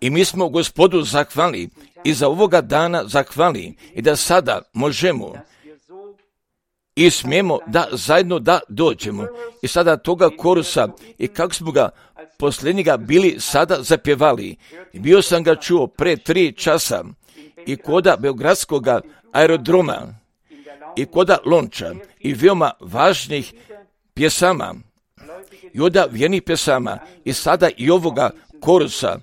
I mi smo Gospodu zahvalni i za ovoga dana zahvalni i da sada možemo i smijemo da zajedno da dođemo. I sada toga korusa i kako smo ga posljednjega bili sada zapjevali. Bio sam ga čuo pre 3 časa i koda Beogradskog aerodroma i koda Lonča i veoma važnih pjesama i oda vjernih pjesama i sada i ovoga korusa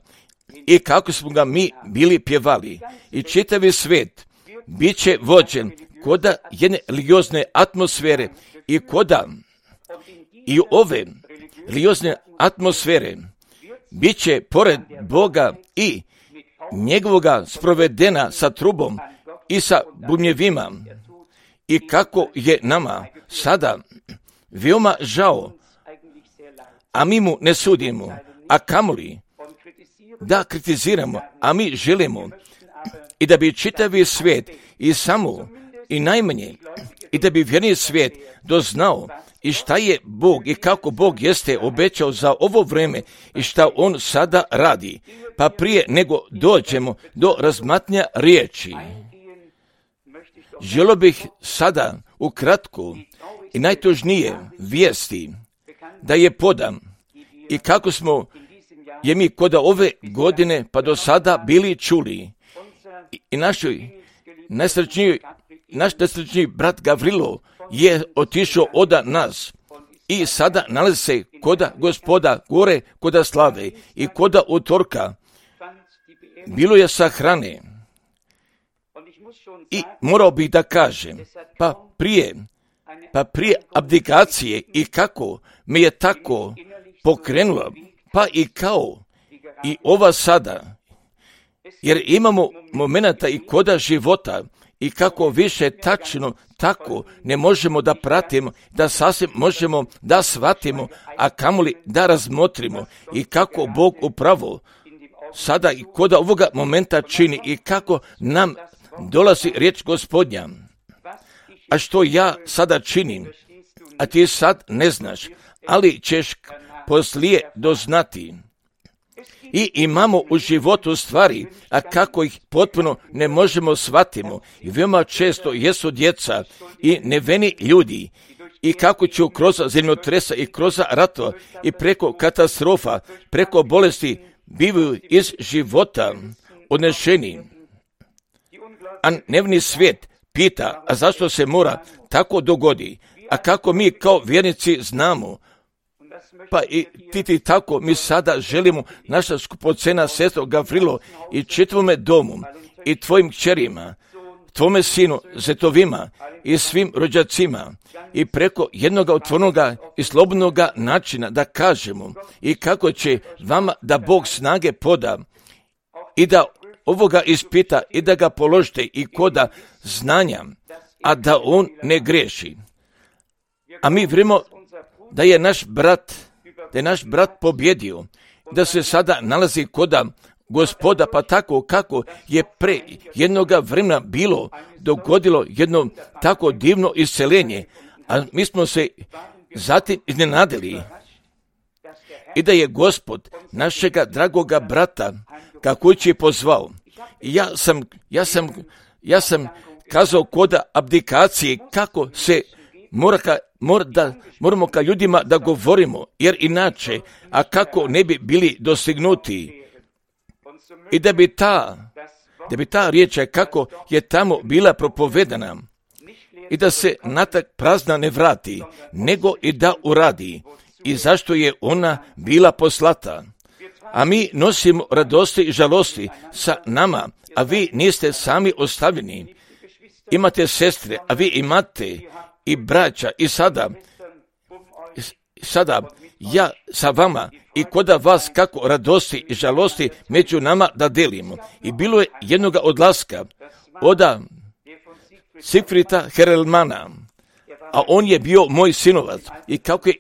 i kako smo ga mi bili pjevali. I čitavi svijet bit će vođen koda jedne religiozne atmosfere i koda i ove religiozne atmosfere bit će pored Boga i njegovoga sprovedena sa trubom i sa bubnjevima. I kako je nama sada veoma žao, a mi mu ne sudimo, a kamoli da kritiziramo, a mi želimo i da bi čitavi svijet i samo i najmanje i da bi vjerni svijet doznao i šta je Bog i kako Bog jeste obećao za ovo vrijeme i šta On sada radi. Pa prije nego dođemo do razmatnja riječi, želio bih sada ukratko i najtužnije vijesti da je podam i kako smo je mi kod ove godine pa do sada bili čuli. I naš najsrećniji brat Gavrilo je otišao od nas i sada nalazi se koda Gospoda gore, koda slave i koda utorka. Bilo je sahrane i morao bih da kažem, pa prije abdikacije i kako me je tako pokrenula, pa i kao i ova sada, jer imamo momenata i koda života i kako više tačno tako ne možemo da pratimo, da sasvim možemo da shvatimo, a kamoli da razmotrimo i kako Bog upravo sada i koda ovoga momenta čini i kako nam dolazi riječ Gospodnja. A što ja sada činim, a ti sad ne znaš, ali ćeš poslije doznati. I imamo u životu stvari, a kako ih potpuno ne možemo shvatimo. I veoma često jesu djeca i neveni ljudi. I kako ću kroz zemljotresa i kroz ratova i preko katastrofa, preko bolesti bivaju iz života odnešeni. A nevni svijet pita, a zašto se mora tako dogodi? A kako mi kao vjernici znamo? Pa i ti tako mi sada želimo, naša skupocena sestro Gavrilo i čitavome domu i tvojim kćerima, tvome sinu, zetovima i svim rođacima i preko jednog otvornoga i slobodnoga načina da kažemo i kako će vama da Bog snage poda i da ovoga ispita i da ga položite i koda znanja, a da on ne greši. A mi vjerujemo da je naš brat pobjedio, da se sada nalazi koda Gospoda, pa tako kako je pre jednoga vremena bilo dogodilo jedno tako divno isceljenje, a mi smo se zatim iznenadili i da je Gospod našega dragoga brata kako će pozvao. I ja sam kazao koda abdikacije kako se moramo ka ljudima da govorimo, jer inače, a kako ne bi bili dostignuti. I da bi ta riječ kako je tamo bila propovedana i da se natak prazna ne vrati, nego i da uradi. I zašto je ona bila poslata? A mi nosimo radosti i žalosti sa nama, a vi niste sami ostavljeni. Imate sestre, a vi imate i braća i sada ja sa vama i koda vas kako radosti i žalosti među nama da delimo. I bilo je jednoga odlaska od Sigfrida Herelmana, a on je bio moj sinovac i kako je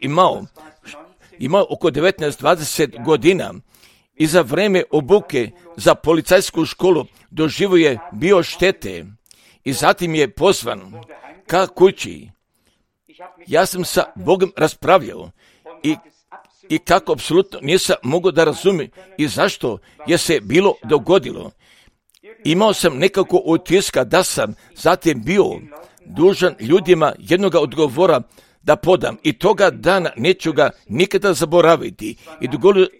imao oko 19-20 godina i za vreme obuke za policajsku školu doživio je bio štete i zatim je pozvan ka kući. Ja sam sa Bogom raspravljao i kako apsolutno nisam mogao da razumijem i zašto je se bilo dogodilo. Imao sam nekako utiska da sam zatim bio dužan ljudima jednoga odgovora da podam i toga dana neću ga nikada zaboraviti. I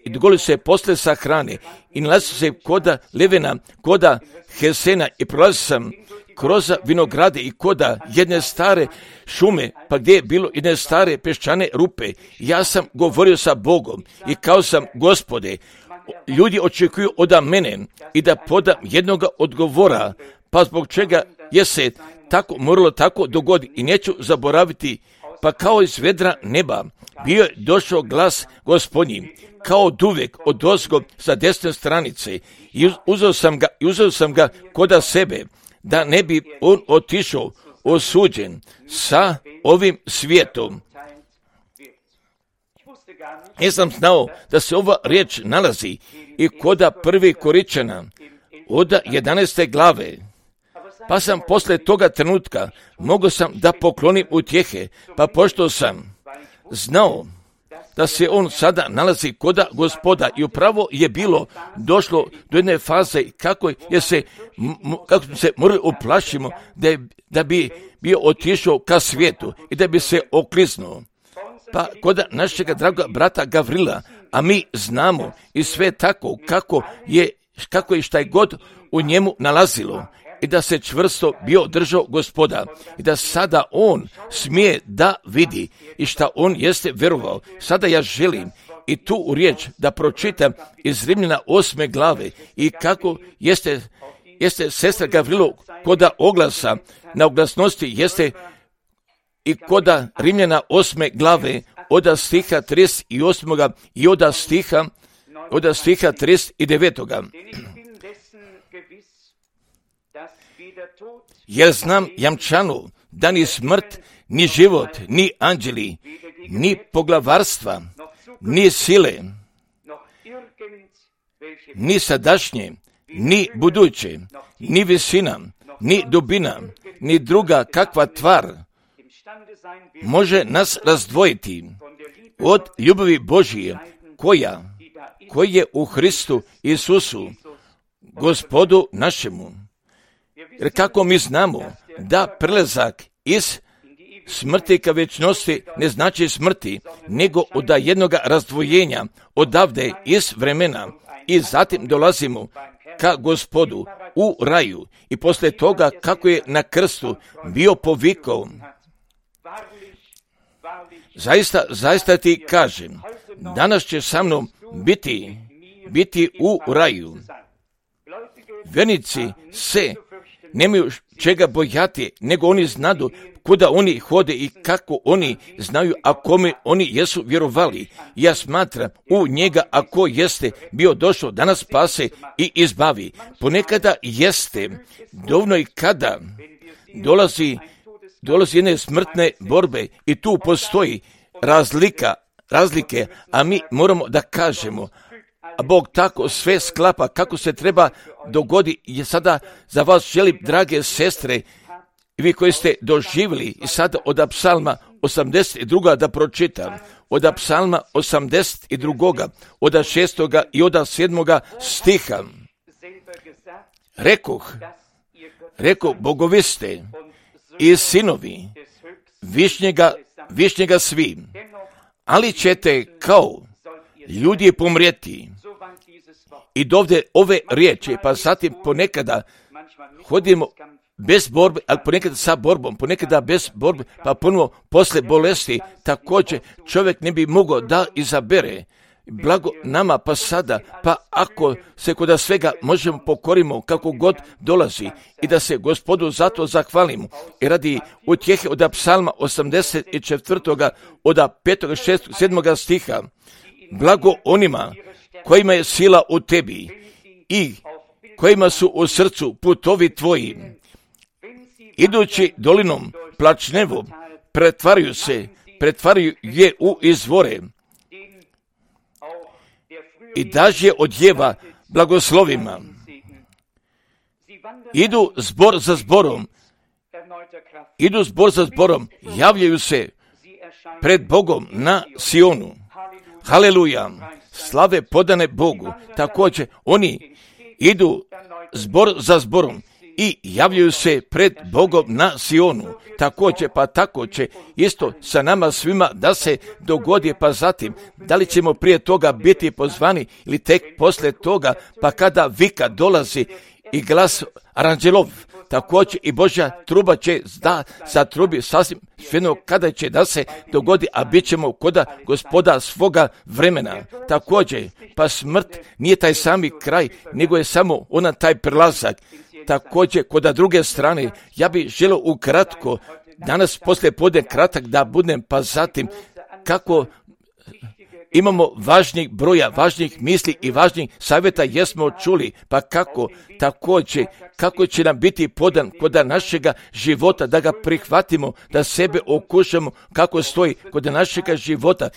dogodilo se posle sahrane i nalazio se koda Levena, koda Hesena i prolazio sam kroz vinograde i koda jedne stare šume, pa gdje je bilo jedne stare peščane rupe. Ja sam govorio sa Bogom i kao sam, Gospode, ljudi očekuju od mene i da podam jednoga odgovora, pa zbog čega je se tako moralo tako dogodi i neću zaboraviti, pa kao iz vedra neba bio je došao glas Gospodnji, kao oduvek odozgo sa desne stranice i uzeo sam ga koda sebe, da ne bi on otišao osuđen sa ovim svijetom. Nisam znao da se ova riječ nalazi i koda 1. Koričana od 11. glave. Pa sam posle toga trenutka mogao sam da poklonim utjehe, pa pošto sam znao da se on sada nalazi koda Gospoda i upravo je bilo došlo do jedne faze kako smo se morali uplašimo da bi bio otišao ka svijetu i da bi se okliznuo. Pa koda našega draga brata Gavrila, a mi znamo i sve tako kako je šta je god u njemu nalazilo i da se čvrsto bio držao Gospoda i da sada on smije da vidi i šta on jeste verovao. Sada ja želim i tu u riječ da pročitam iz Rimljana 8. glave i kako jeste sestra Gavrilo koda oglasa na oglasnosti jeste i koda Rimljana 8. glave od stiha 38. i od stiha 39. Jer znam jamčanu da ni smrt, ni život, ni anđeli, ni poglavarstva, ni sile, ni sadašnje, ni buduće, ni visina, ni dubina, ni druga kakva tvar može nas razdvojiti od ljubavi Božije koja je u Hristu Isusu, Gospodu našemu. Jer kako mi znamo da prelazak iz smrti ka večnosti ne znači smrti, nego od jednoga razdvojenja odavde iz vremena i zatim dolazimo ka Gospodu u raju i posle toga kako je na krstu bio povikao. Zaista ti kažem, danas će sa mnom biti u raju. Vernici se nemaju čega bojati, nego oni znadu kuda oni hode i kako oni znaju, a kome oni jesu vjerovali. Ja smatram u njega, ako jeste bio došao da nas spase i izbavi. Ponekada jeste dovoljno i kada dolazi jedne smrtne borbe i tu postoji razlike, a mi moramo da kažemo, a Bog tako sve sklapa kako se treba dogodi. I sada za vas želim, drage sestre, i vi koji ste doživjeli, i sada od Psalma 82. da pročitam, od Psalma 82. od 6. i od 7. stiha. Rekoh, bogovi ste i sinovi višnjega svi, ali ćete kao ljudi pomrijeti. I dovde ove riječi, pa zatim ponekada hodimo bez borbe, ali ponekada sa borbom, ponekada bez borbe, pa ponovo posle bolesti, također čovjek ne bi mogao da izabere. Blago nama pa sada, pa ako se kod svega možemo pokorimo kako god dolazi i da se Gospodu zato zahvalimo. I radi utjehe od Psalma 84. od 5., 6., 7. stiha, blago onima kojima je sila u tebi i kojima su u srcu putovi tvoji, idući dolinom plačnevom, pretvaraju je u izvore i daže odjeva blagoslovima. Idu zbor za zborom, javljaju se pred Bogom na Sionu. haleluja, slave podane Bogu. Također oni idu zbor za zborom i javljaju se pred Bogom na Sionu. Također, pa tako će isto sa nama svima da se dogodi, pa zatim, da li ćemo prije toga biti pozvani ili tek poslije toga, pa kada vika dolazi i glas aranđelov, također i Božja truba će zatrubi sasvim svejedno kada će da se dogodi, a bit ćemo koda Gospoda svoga vremena. Također, pa smrt nije taj sami kraj, nego je samo ona taj prelazak. Također, koda druge strane, ja bih želio ukratko, danas poslije podne kratak da budem, pa zatim kako imamo važnijeg broja, važnijih misli i važnijih savjeta jesmo čuli, pa kako također, kako će nam biti podan kod našega života, da ga prihvatimo, da sebe okušamo, kako stoji kod našega života,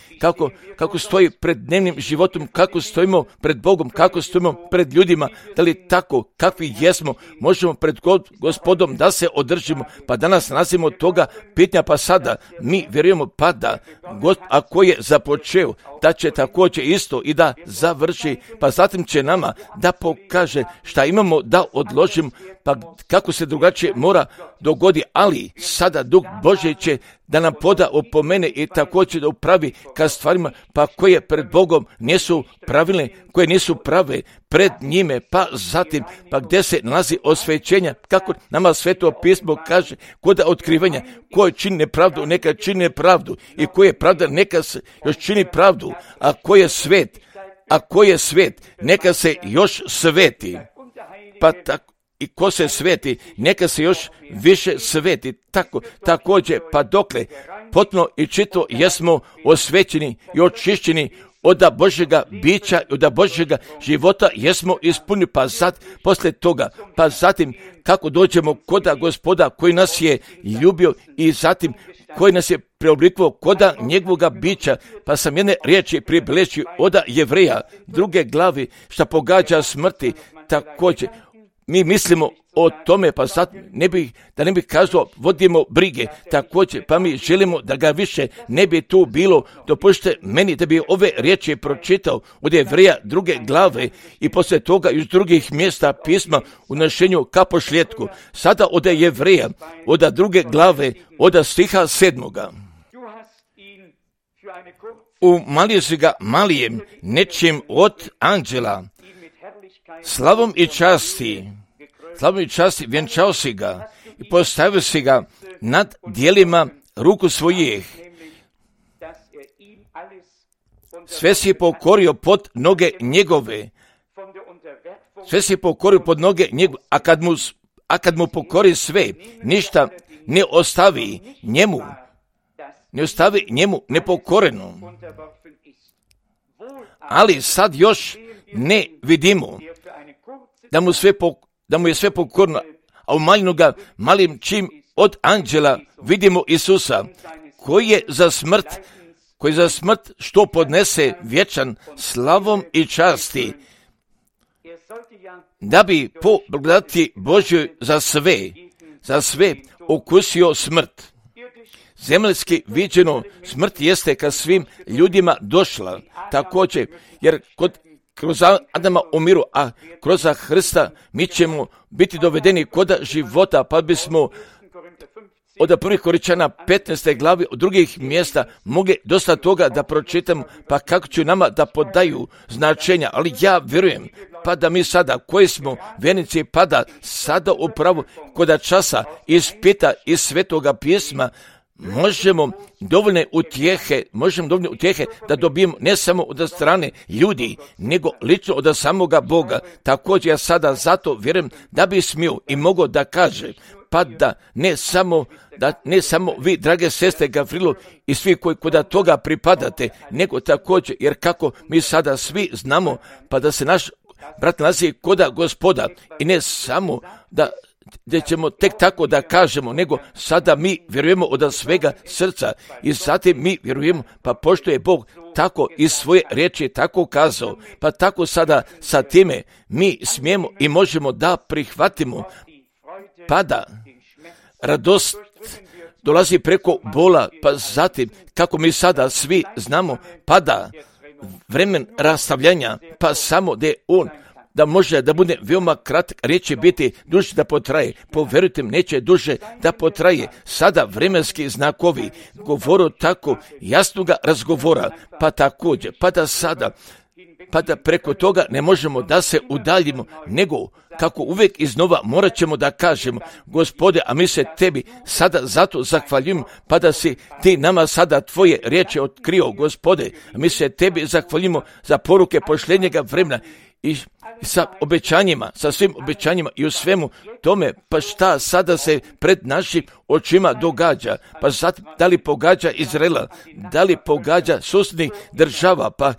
kako stoji pred dnevnim životom, kako stojimo pred Bogom, kako stojimo pred ljudima, da li tako, kakvi jesmo, možemo pred Gospodom da se održimo, pa danas nalazimo toga pitanja, pa sada mi vjerujemo pa da ako je započeo, da će također isto i da završi, pa zatim će nama da pokaže šta imamo da odložimo, pa kako se drugačije mora dogodi, ali sada Duh Božji će da nam poda opomene i također da upravi ka stvarima, pa koje pred Bogom nisu pravilne, koje nisu prave pred njime, pa zatim, pa gdje se nalazi osvećenja, kako nama Sveto pismo kaže, kod otkrivanja, ko čini nepravdu, neka čini nepravdu, i ko je pravda, neka se još čini pravdu, a ko je svet, neka se još sveti, pa tako. I ko se sveti, neka se još više sveti. Također, pa dokle potpuno i čito jesmo osvećeni i očišćeni od Božjega bića i od Božjega života jesmo ispunili, pa poslije toga, pa zatim kako dođemo koda Gospoda koji nas je ljubio i zatim koji nas je preoblikovao koda njegovoga bića, pa sam jedne riječi pribilježio od Jevreja, 2. glavi, šta pogađa smrti. Također, mi mislimo o tome, pa sad da ne bih kazao, vodimo brige, također, pa mi želimo da ga više ne bi tu bilo. Dopustite meni da bi ove riječi pročitao od Jevreja 2. glave i poslije toga iz drugih mjesta pisma u našenju ka pošljetku. Sada od Jevreja, od 2. glave, od stiha 7. Umalio si ga malijem nečim od anđela, slavom i časti vjenčao si ga i postavio si ga nad dijelima ruku svojih. Sve si pokorio pod noge njegove. A kad mu pokori sve, ništa ne ostavi njemu nepokoreno. Ali sad još ne vidimo da mu je sve pokorno, a umaljeno ga malim čim od anđela vidimo Isusa, koji je za smrt što podnese vječan slavom i časti, da bi po blagodati Božjoj za sve okusio smrt. Zemaljski viđeno, smrt jeste ka svim ljudima došla, također, jer kroz Adama umiru, a kroz Hrista mi ćemo biti dovedeni kod života, pa bismo od 1. Korinčana 15. glavi od drugih mjesta mogli dosta toga da pročitamo, pa kako će nama da podaju značenja, ali ja vjerujem, pa da mi sada koji smo vjernici, pa da sada upravo kod časa ispita iz Svetoga pisma možemo dovoljne utjehe da dobijemo ne samo od strane ljudi, nego lično od samoga Boga. Također ja sada zato vjerujem da bi smio i mogao da kaže, pa da ne samo vi, drage sestre Gavrilo i svi koji kod toga pripadate, nego također, jer kako mi sada svi znamo, pa da se naš brat nalazi kod Gospoda i ne samo da ćemo tek tako da kažemo, nego sada mi vjerujemo od svega srca i zatim mi vjerujemo, pa pošto je Bog tako iz svoje riječi tako kazao, pa tako sada sa time mi smijemo i možemo da prihvatimo, pa da radost dolazi preko bola, pa zatim kako mi sada svi znamo, pa da vremen rastavljanja, pa samo da je on, da može da bude veoma kratak, neće biti duže da potraje. Poverujte mi, neće duže da potraje. Sada vremenski znakovi govoru tako jasnoga razgovora, pa također, pa da sada, pa da preko toga ne možemo da se udaljimo, nego kako uvijek iznova morat ćemo da kažemo, Gospode, a mi se tebi sada zato zahvaljujemo, pa da si ti nama sada tvoje riječi otkrio, Gospode, a mi se tebi zahvaljujemo za poruke pošljenjega vremena i sa obećanjima, sa svim obećanjima i u svemu tome, pa šta sada se pred našim očima događa, pa sad da li pogađa Izraela, da li pogađa susjednih država, pa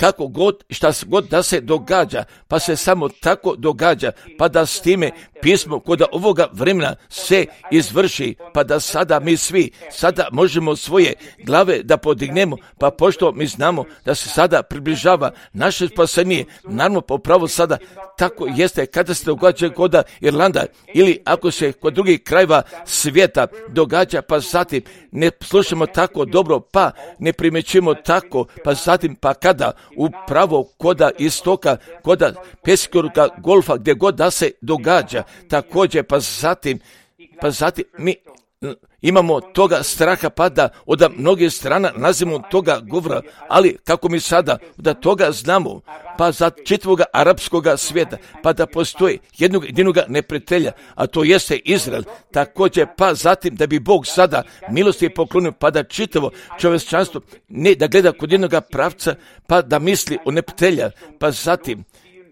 kako god, šta god da se događa, pa se samo tako događa, pa da s time pismo kod ovoga vremena se izvrši, pa da sada mi svi sada možemo svoje glave da podignemo, pa pošto mi znamo da se sada približava naše spasenje, naravno popravo sada tako jeste kada se događa kod Irlanda ili ako se kod drugih krajeva svijeta događa, pa zatim ne slušamo tako dobro, pa ne primjećujemo tako, pa zatim pa kada upravo koda istoka, koda Perskog golfa, gdje god da se događa, također pa zatim mi imamo toga straha, pa da od mnogih strana nazimo toga govora, ali kako mi sada da toga znamo, pa za čitavoga arapskoga svijeta, pa da postoji jednog jedinog neprijatelja, a to jeste Izrael, također pa zatim da bi Bog sada milosti poklonio, pa da čitavo čovječanstvo ne da gleda kod jednog pravca, pa da misli o neprijatelja, pa zatim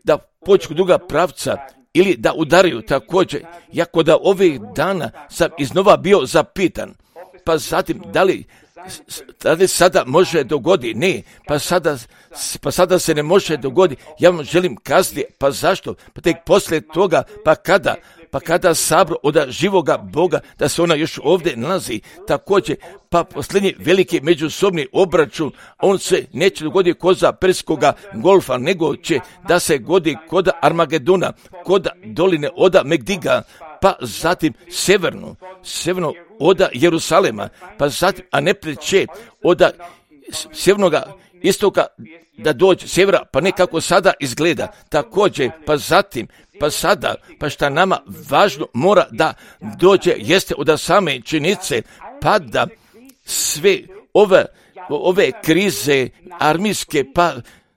da pođe kod druga pravca, ili da udaraju također. Jako da ovih dana sam iznova bio zapitan, pa zatim da li sada može dogoditi? Ne, pa sada se ne može dogoditi. Ja vam želim kazati, pa zašto? Pa tek poslije toga, pa kada sabor od živoga Boga, da se ona još ovdje nalazi, također, pa posljednji veliki međusobni obračun, on se neće dogoditi kod Perskoga golfa, nego će da se godi kod Armagedona, kod doline od Megdiga, pa zatim severno od Jerusalema, pa zatim, a ne preće od sjevernoga istoka da dođe sjevera, pa ne kako sada izgleda, također, pa zatim, pa sada, pa šta nama važno mora da dođe, jeste od same činjenice, pa da sve ove krize armijske, pa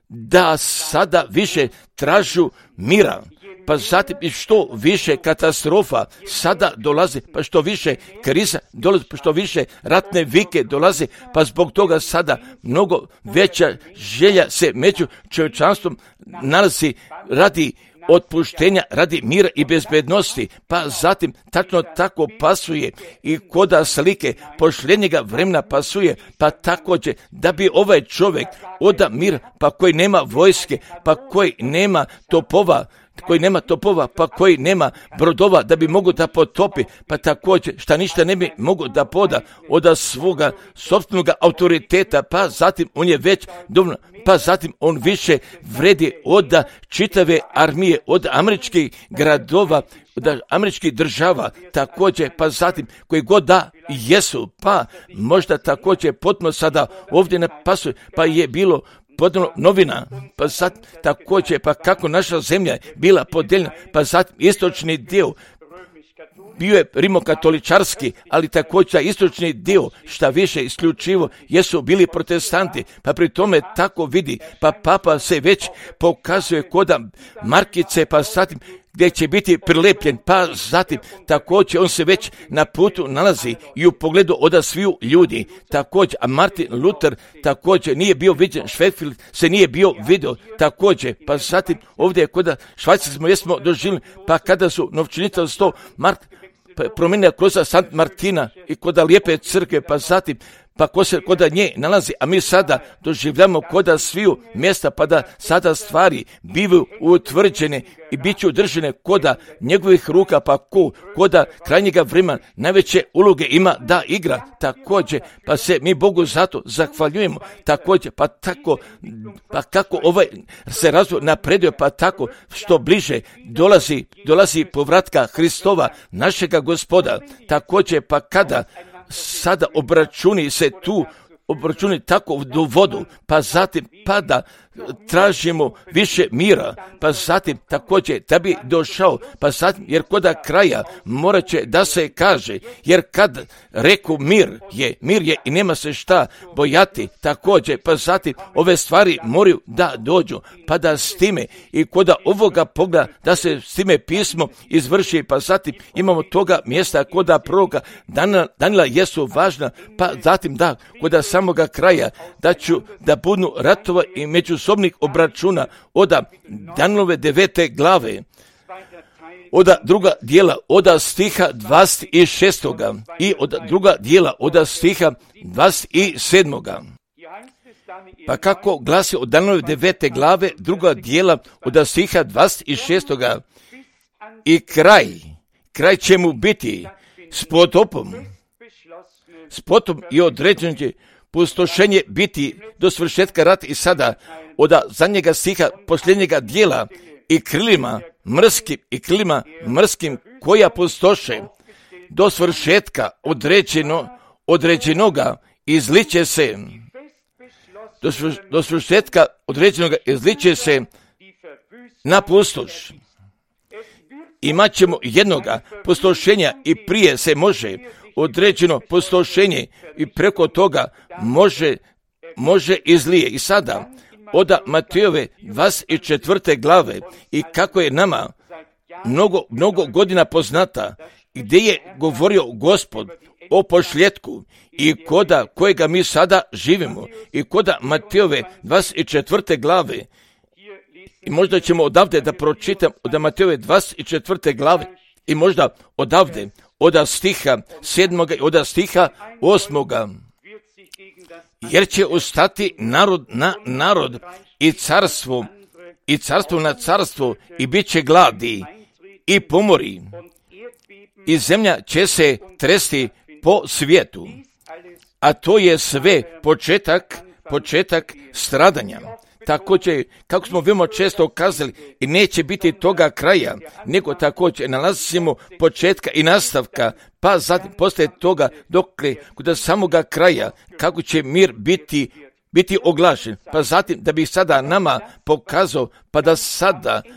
da sada više tražu mira, pa zatim i što više katastrofa sada dolazi, pa što više kriza dolazi, pa što više ratne vike dolazi, pa zbog toga sada mnogo veća želja se među čovječanstvom nalazi radi otpuštenja, radi mira i bezbednosti, pa zatim tačno tako pasuje i koda slike pošljenjega vremena pasuje, pa također da bi ovaj čovjek oda mir, pa koji nema vojske, pa koji nema topova, pa koji nema brodova da bi mogu da potopi, pa također šta ništa ne bi mogu da poda od svoga sopstvenog autoriteta, pa zatim on je već dovoljno, pa zatim on više vredi od čitave armije, od američkih gradova, od američkih država, također, pa zatim koji god da jesu, pa možda također potpuno sada ovdje ne pasuje, pa je bilo podano novina, pa sad također, pa kako naša zemlja bila podijeljena, pa zatim istočni dio bio je rimokatoličarski, ali također istočni dio, šta više isključivo, jesu bili protestanti, pa pri tome tako vidi, pa papa se već pokazuje koda markice, pa zatim gdje će biti prilepljen, pa zatim također on se već na putu nalazi i u pogledu od sviju ljudi, također, a Martin Luther također nije bio viđen, Schwefield se nije bio vidio, također, pa zatim ovdje kod Švajcarske jesmo doživjeli, pa kada su novčanica 100 mark promijenila kroz Sant Martina i kod lijepe crkve, pa zatim pa ko se kod nje nalazi, a mi sada doživljamo kod sviju mjesta, pa da sada stvari bivaju utvrđene i bit će udržene kod njegovih ruka, pa kod krajnjega vremena najveće uloge ima da igra, također, pa se mi Bogu zato zahvaljujemo, također, pa kako ovaj se razvoj napredio, pa tako što bliže dolazi povratka Hristova, našega Gospoda, također, pa kada sada obračuni se tu obračuni tako do vodu, pa zatim pa da tražimo više mira, pa zatim također da bi došao, pa zatim jer kod kraja morat će da se kaže, jer kad reku mir je i nema se šta bojati također, pa zatim ove stvari moraju da dođu, pa da s time i kod ovoga pogleda da se s time pismo izvrši, pa zatim imamo toga mjesta kod proroka Danila jesu važna, pa zatim da kod samoga kraja da ću da budu ratova i međusobnih obračuna od Danilove 9. glave, od druga dijela, od stiha 26. i od druga dijela, od stiha 27. Pa kako glasi od Danilove 9. glave, druga dijela, od stiha 26. I kraj će mu biti s potopom i određeno će pustošenje biti do svršetka rata i sada od zadnjega stiha posljednjega dijela i krilima mrskim koja pustoše do svršetka određenoga izliče se do svršetka određenoga izliče se na pustoš. Imaćemo jednoga pustošenja i prije se može određeno pustošenje i preko toga može izlije. I sada od Matejove 24. glave i kako je nama mnogo godina poznata, gdje je govorio Gospod o pošljetku i koda kojega mi sada živimo i koda Matejove 24. glave. I možda ćemo odavde da pročitam od Matejove 24. glave i možda odavde od stiha 7. i od stiha 8. Jer će ustati narod na narod i carstvo na carstvo i bit će gladi i pomori i zemlja će se tresti po svijetu. A to je sve početak stradanja. Također, kako smo veoma često kazali, i neće biti toga kraja, nego također nalazimo početka i nastavka, pa zatim poslije toga dokle kod samoga kraja, kako će mir biti oglašen, pa zatim da bi sada nama pokazao,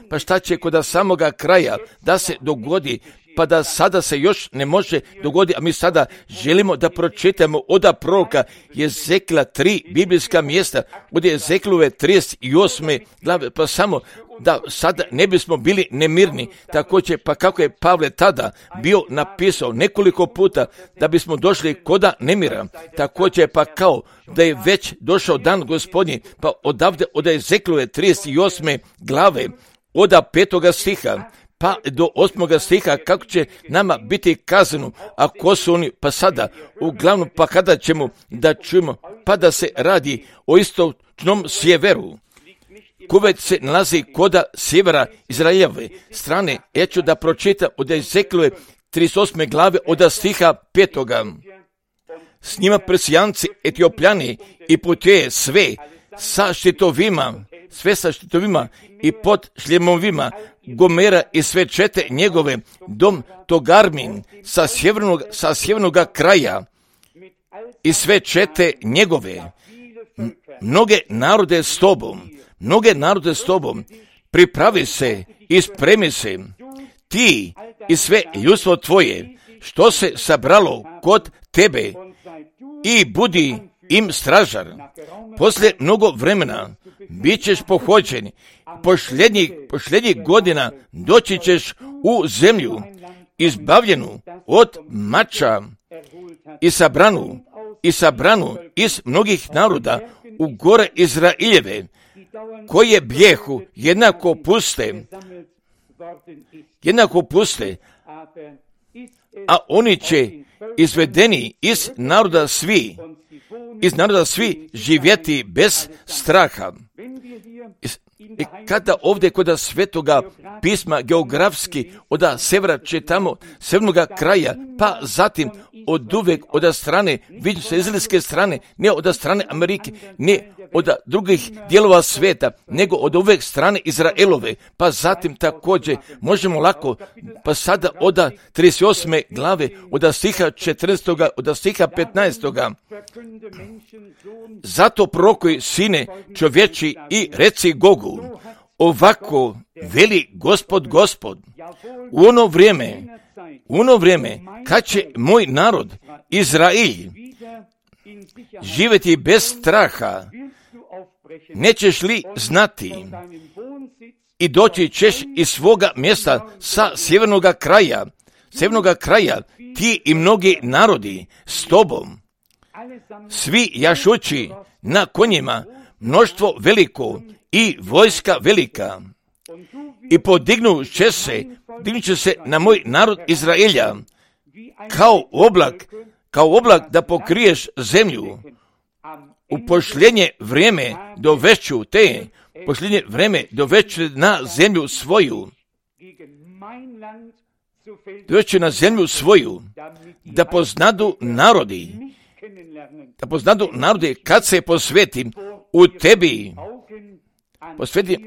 pa šta će kod samoga kraja da se dogodi, pa da sada se još ne može dogoditi, a mi sada želimo da pročitamo od proroka Jezekila 3 biblijska mjesta, od Jezekilove 38. glave, pa samo da sada ne bismo bili nemirni, također pa kako je Pavle tada bio napisao nekoliko puta da bismo došli koda nemira, također pa kao da je već došao dan Gospodnji, pa odavde od Jezekilove 38. glave, od 5. stiha, pa do 8. stiha kako će nama biti kazano, a ko su oni, pa sada, uglavnom pa kada ćemo da čujemo, pa da se radi o istočnom sjeveru, Kuvajt se nalazi koda sjevera Izraeljeve strane. Ja ću da pročitam od Jezekilove 38. glave od stiha 5. S njima Persijanci, Etiopljani i putuje sve sa štitovima i pod šljemovima Gomera i sve čete njegove, dom Togarmin sa sjevernog kraja i sve čete njegove, mnoge narode s tobom, pripravi se i spremi se, ti i sve ljudstvo tvoje, što se sabralo kod tebe, i budi im stražar. Poslije mnogo vremena bit ćeš pohođen, posljednjih godina doći ćeš u zemlju izbavljenu od mača i sabranu iz mnogih naroda u gore Izraeljeve, koje bijehu jednako puste, a oni će izvedeni iz naroda svi živjeti bez straha. I kada ovdje kod Svetoga pisma geografski od severa čitamo severnoga kraja, pa zatim od uvek od strane, vidim se izraelske strane, ne od strane Amerike, ne od drugih dijelova svijeta, nego od ove strane Izraelove. Pa zatim također možemo lako, pa sada od 38. glave, od stiha 14. od stiha 15. Zato prorokuj, sine čovječi, i reci Gogu, ovako veli Gospod, u ono vrijeme kad će moj narod Izrael živjeti bez straha, nećeš li znati i doći ćeš iz svoga mjesta sa sjevernoga kraja, ti i mnogi narodi s tobom, svi jašući na konjima, mnoštvo veliko i vojska velika, i podignut će se na moj narod Izraelja kao oblak da pokriješ zemlju. U posljednje vrijeme dovešću na zemlju svoju, da poznadu narodi kad se posvetim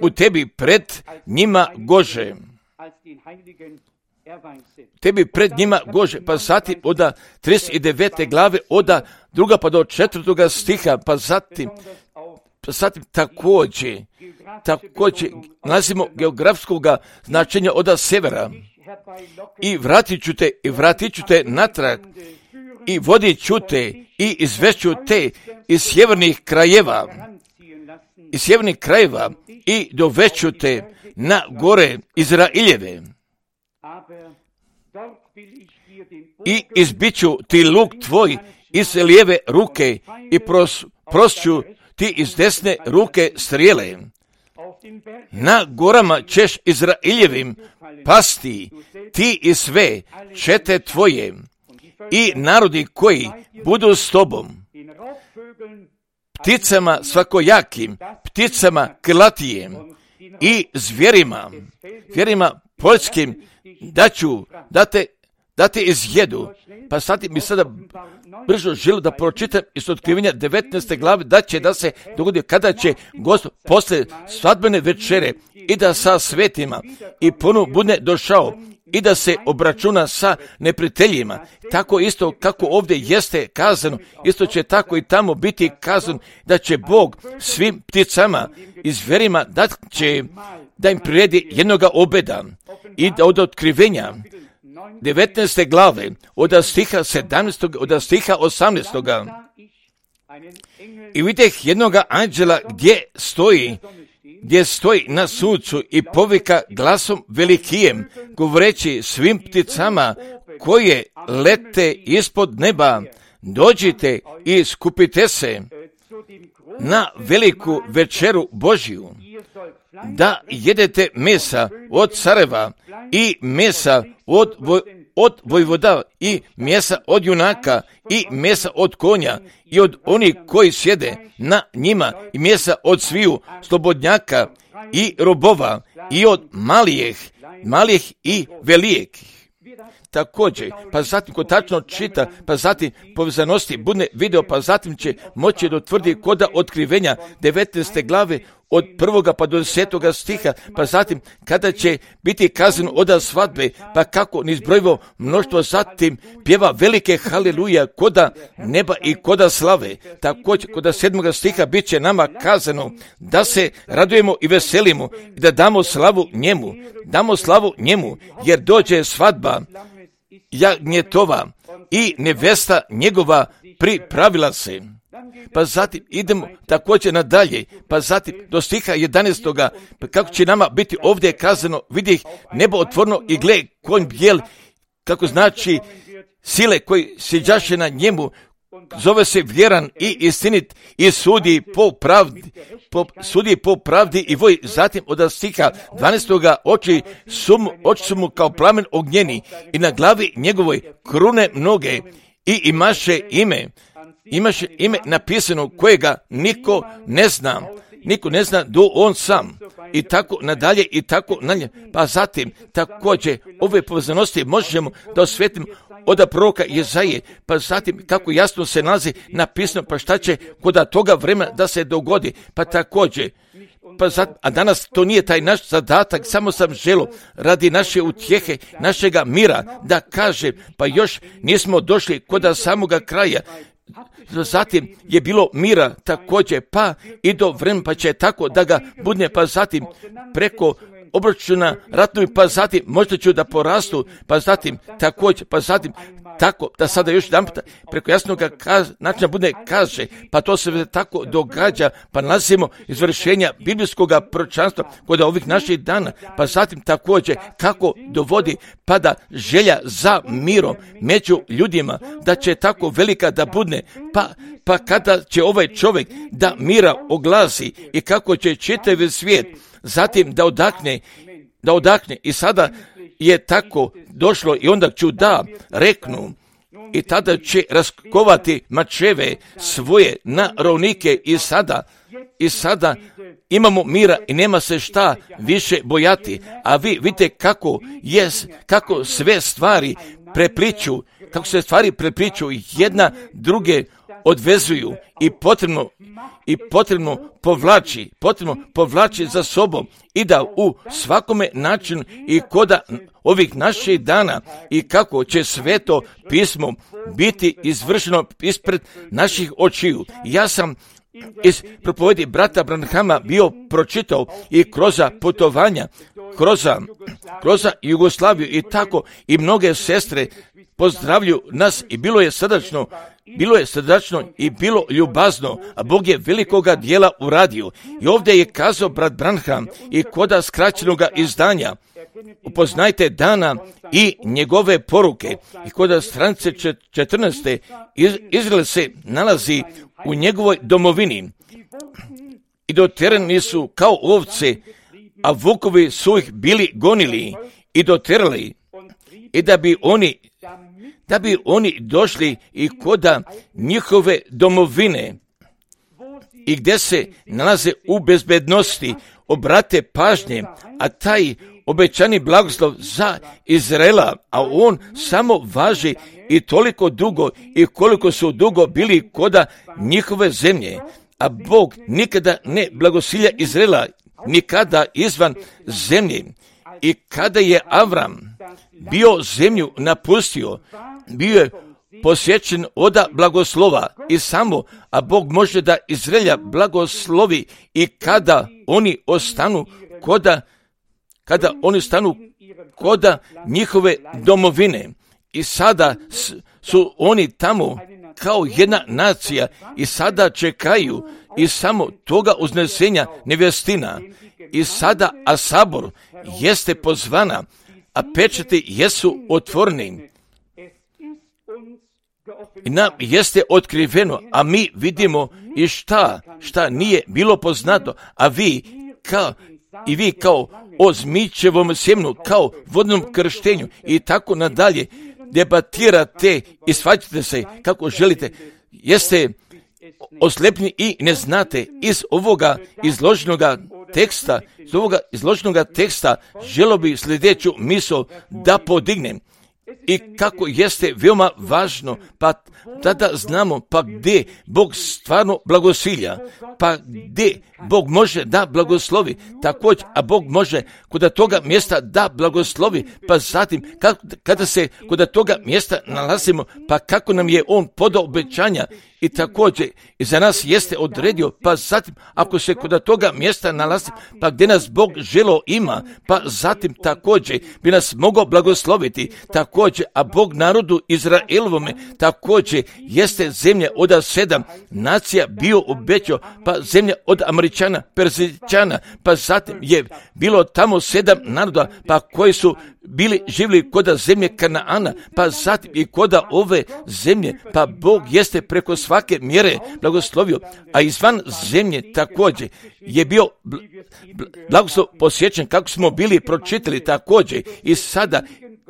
u tebi pred njima Gože. Pa zatim od 39. glave, od 2. pa do 4. stiha, pa zatim također nalazimo geografskog značenja od severa. I vratit ću te natrag, i vodit ću te, i izvešću te iz sjevernih krajeva, i dovešću te na gore Izraeljeve. I izbiću ti luk tvoj iz lijeve ruke, i prosću ti iz desne ruke strijele. Na gorama ćeš Izraeljevim pasti, ti i sve čete tvoje, i narodi koji budu s tobom, pticama svakojakim, pticama krlatijem, i zvjerima poljskim da te izjedu. Pa sad mi sada brzo želim da pročitam iz Otkrivenja 19. glave, da se dogodi kada će Gospod posle svadbene večere i da sa svetima i ponovo bude došao i da se obračuna sa neprijateljima. Tako isto kako ovdje jeste kazano, isto će tako i tamo biti kazano, da će Bog svim pticama i zverima da im priredi jednoga obeda. I da od Otkrivenja 19. glave, od stiha 17. od stiha 18. I vidjeh jednoga anđela gdje stoji na suncu i povika glasom velikijem, govoreći svim pticama koje lete ispod neba, dođite i skupite se na veliku večeru Božju, da jedete mesa od careva i mesa od vojvoda i mesa od junaka i mesa od konja i od onih koji sjede na njima i mesa od sviju slobodnjaka i robova i od malijih i velijih. Također, pa zatim ko tačno čita, pa zatim povezanosti bude video, pa zatim će moći da utvrdi koda Otkrivenja 19. glave od 1. pa do 10. stiha, pa zatim kada će biti kazano od svadbe, pa kako nizbrojivo mnoštvo zatim pjeva velike haleluja koda neba i koda slave. Također koda 7. stiha bit će nama kazano da se radujemo i veselimo i da damo slavu njemu, jer dođe svadba jagnjetova i nevesta njegova pripravila se. Pa zatim idemo također nadalje, pa zatim do stiha 11. Pa kako će nama biti ovdje kazano, vidih nebo otvoreno i gle konj bijel, kako znači sile koji siđaše na njemu, zove se vjeran i istinit i sudi po pravdi i voj. Zatim od stiha 12. oči su mu kao plamen ognjeni i na glavi njegovoj krune mnoge i imaše ime napisano kojega niko ne zna do on sam. I tako nadalje. Pa zatim također ove povezanosti možemo da osvetimo od proroka Jezaje, pa zatim kako jasno se nalazi napisano, pa šta će kod toga vremena da se dogodi, pa također. A danas to nije taj naš zadatak, samo sam želio radi naše utjehe, našega mira, da kažem, pa još nismo došli kod samoga kraja. Zatim je bilo mira također, pa i do vremena, pa će tako da ga budne, pa zatim preko obračuna ratnovi, pa zatim možda ću da porastu, pa zatim također, pa zatim tako da sada još jedan puta preko jasnog načina bude kaže, pa to se tako događa, pa nalazimo izvršenja biblijskog proročanstva kod ovih naših dana, pa zatim također kako dovodi pada želja za mirom među ljudima, da će tako velika da budne, pa kada će ovaj čovjek da mira oglasi i kako će čitav svijet zatim da odahne i sada je tako došlo i onda ću da reknu i tada će raskovati mačeve svoje na rovnike i sada imamo mira i nema se šta više bojati, a vi vidite kako sve stvari prepliču, kako se stvari prepliču jedna druge odvezuju i potrebno povlači za sobom i da u svakome načinu i kod ovih naših dana i kako će sveto pismo biti izvršeno ispred naših očiju. Ja sam iz propovedi brata Branhama bio pročitao i kroz putovanja, kroz Jugoslaviju i tako i mnoge sestre pozdravlju nas i bilo je srdačno i bilo ljubazno, a Bog je velikoga dijela uradio. I ovdje je kazao brat Branham i koda skraćenoga izdanja, upoznajte dana i njegove poruke, i koda stranice 14. Izrael se nalazi u njegovoj domovini i doterani su kao ovce, a vukovi su ih bili gonili i doterali, i da bi oni došli i koda njihove domovine i gdje se nalaze u bezbednosti, obrate pažnje, a taj obećani blagoslov za Izraela, a on samo važi i toliko dugo i koliko su dugo bili koda njihove zemlje, a Bog nikada ne blagosilja Izraela, nikada izvan zemlje. I kada je Avram bio zemlju napustio, bio je posjećen od blagoslova i samo, a Bog može da Izraelja blagoslovi i kada oni ostanu koda njihove domovine. I sada su oni tamo kao jedna nacija i sada čekaju i samo toga uznesenja nevjestina. I sada, a sabor jeste pozvana, a pečati jesu otvoreni. I nam jeste otkriveno, a mi vidimo i šta nije bilo poznato, a vi kao o zmičevom sjemnu, kao vodnom krštenju i tako nadalje, debatirate i svađate se kako želite, jeste oslepni i ne znate iz ovoga izloženoga teksta želo bi sljedeću misao da podignem. I kako jeste veoma važno, pa tada znamo pa gdje Bog stvarno blagosilja, pa gdje Bog može da blagoslovi, također, a Bog može kod toga mjesta da blagoslovi, pa zatim kada se kod toga mjesta nalazimo, pa kako nam je On podao obećanja i također i za nas jeste odredio, pa zatim ako se kod toga mjesta nalazi, pa gdje nas Bog želo ima, pa zatim također bi nas mogao blagosloviti, također, a Bog narodu Izraelovome također jeste zemlja od 7 nacija bio obećao, pa zemlja od Američana, Perzijčana, pa zatim je bilo tamo 7 naroda, pa koji su bili živjeli koda zemlje Kanaana, pa zatim i koda ove zemlje, pa Bog jeste preko svake mjere blagoslovio, a izvan zemlje također je bio blagoslov posjećen kako smo bili pročitali također i sada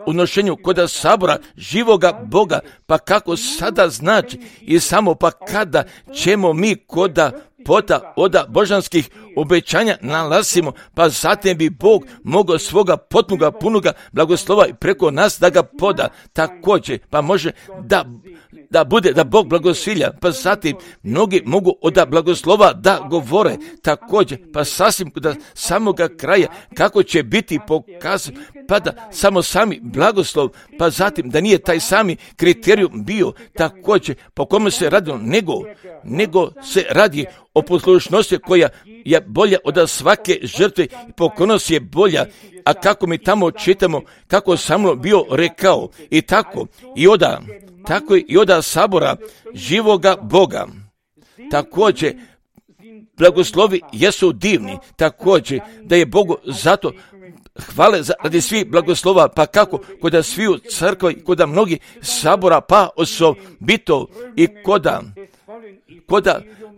u nošenju koda sabora živoga Boga, pa kako sada znači i samo pa kada ćemo mi koda pota od božanskih obećanja nalazimo, pa zatim bi Bog mogao svoga potpunoga, punoga blagoslova preko nas da ga poda. Također, pa može da bude, da Bog blagosilja, pa zatim mnogi mogu od blagoslova da govore. Također, pa sasvim do samoga kraja, kako će biti pokazano, pa da samo sami blagoslov, pa zatim da nije taj sami kriterijum bio također po kome se radilo, nego se radi o poslušnosti koja je bolja od svake žrtve i pokornost je bolja. A kako mi tamo čitamo, kako Samuel bio rekao, i tako i oda sabora živoga Boga. Također, blagoslovi jesu divni, također da je Bogu zato hvale radi svih blagoslova, pa kako kod sviju crkva i kod mnogih sabora, pa osobito i kod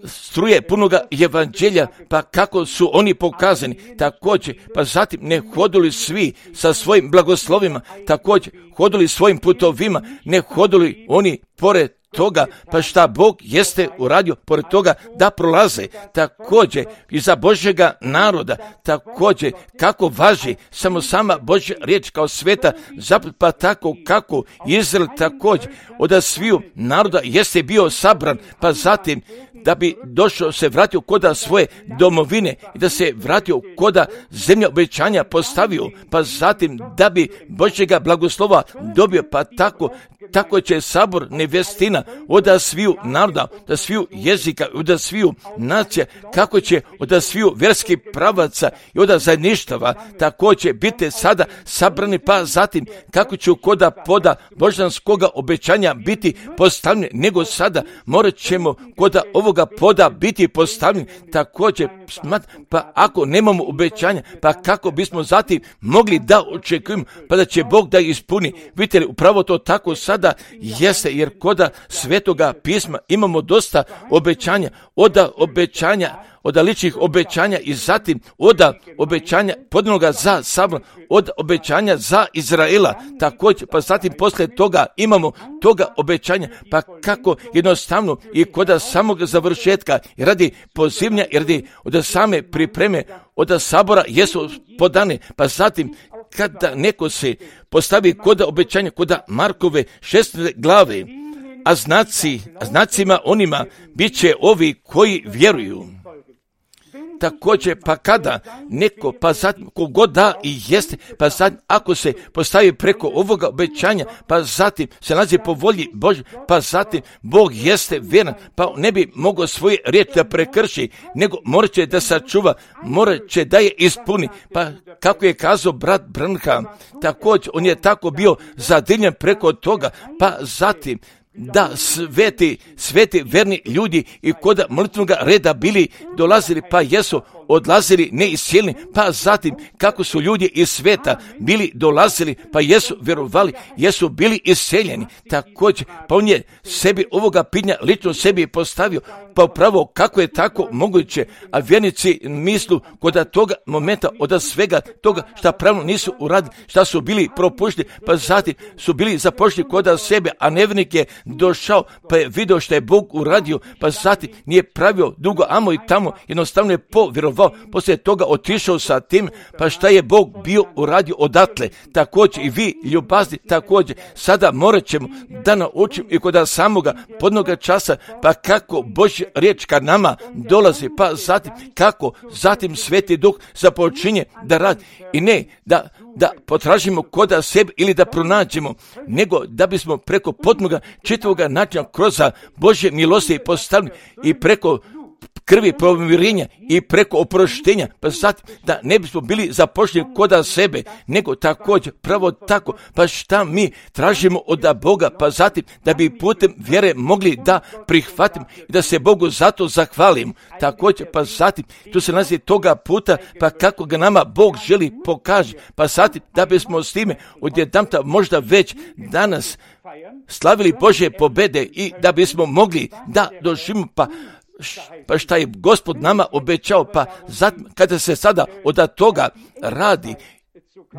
struje punoga evanđelja, pa kako su oni pokazani, također, pa zatim ne hodili svi sa svojim blagoslovima, također hodili svojim putovima, ne hodili oni pored toga, pa šta Bog jeste uradio pored toga da prolaze, također i za Božjega naroda, također kako važi samo sama Božja riječ kao sveta, pa tako kako Izrael također od sviju naroda jeste bio sabran, pa zatim da bi došao, se vratio koda svoje domovine i da se vratio koda zemlja obećanja postavio, pa zatim da bi Božjega blagoslova dobio, pa tako će sabor nevjestina od sviju naroda, od sviju jezika, od sviju nacija, kako će od sviju vjerskih pravaca i od zajedništava, tako će biti sada sabrani, pa zatim kako će koda poda božanskoga obećanja biti postavljeni, nego sada morat ćemo koda ovoga poda biti postavljeni, također, pa ako nemamo obećanja, pa kako bismo zatim mogli da očekujemo, pa da će Bog da ispuni. Vidite li, upravo to tako sada jeste, jer koda Svetoga pisma imamo dosta obećanja, od ličnih obećanja i zatim od obećanja podnoga za sabor, od obećanja za Izraela, također, pa zatim poslije toga imamo toga obećanja, pa kako jednostavno i kod samog završetka i radi pozivnja i radi od same pripreme od sabora jesu podane, pa zatim kada neko se postavi kod obećanja kod Markove 6. glave, a znacima onima bit će ovi koji vjeruju. Također, pa kada neko, pa zatim kogod da i jeste, pa zatim ako se postavi preko ovoga obećanja, pa zatim se nalazi po volji Božje, pa zatim Bog jeste vjeran, pa ne bi mogao svoje riječi da prekrši, nego morat će da sačuva, morat će da je ispuni, pa kako je kazao brat Branham, također on je tako bio zadivljen preko toga, pa zatim da sveti verni ljudi i kod molitvenog reda bili dolazili, pa jesu odlazili neiscijeljeni, pa zatim kako su ljudi iz sveta bili dolazili, pa jesu vjerovali, jesu bili iscijeljeni. Također, pa on je sebi ovoga pitanja lično sebi postavio, pa upravo kako je tako moguće, a vjernici mislu kod toga momenta od svega toga šta pravno nisu uradili, šta su bili propušteni, pa zatim su bili započeli kod sebe, a nevjernik je došao, pa je vidio šta je Bog uradio, pa zatim nije pravio dugo amo i tamo, jednostavno je povjerovao, poslije toga otišao sa tim, pa šta je Bog bio uradio odatle. Također i vi ljubazni, također sada morat ćemo da naučimo i kod samoga podnoga časa, pa kako Božja riječ kad nama dolazi, pa zatim kako zatim Sveti Duh započinje da radi i ne da potražimo kod sebe ili da pronađemo, nego da bismo preko potpunoga čitavoga načina kroz Božje milosti postavljeni i preko krvi pomirenja i preko oproštenja, pa zatim da ne bismo bili zapošljeni kod sebe, nego također pravo tako, pa šta mi tražimo od Boga, pa zatim da bi putem vjere mogli da prihvatimo i da se Bogu zato zahvalimo. Također, pa zatim tu se nalazi toga puta, pa kako ga nama Bog želi pokaže, pa zatim da bismo s time odjedanputa možda već danas slavili Božje pobjede i da bismo mogli da doživimo pa šta je Gospod nama obećao, pa zatim kada se sada od toga radi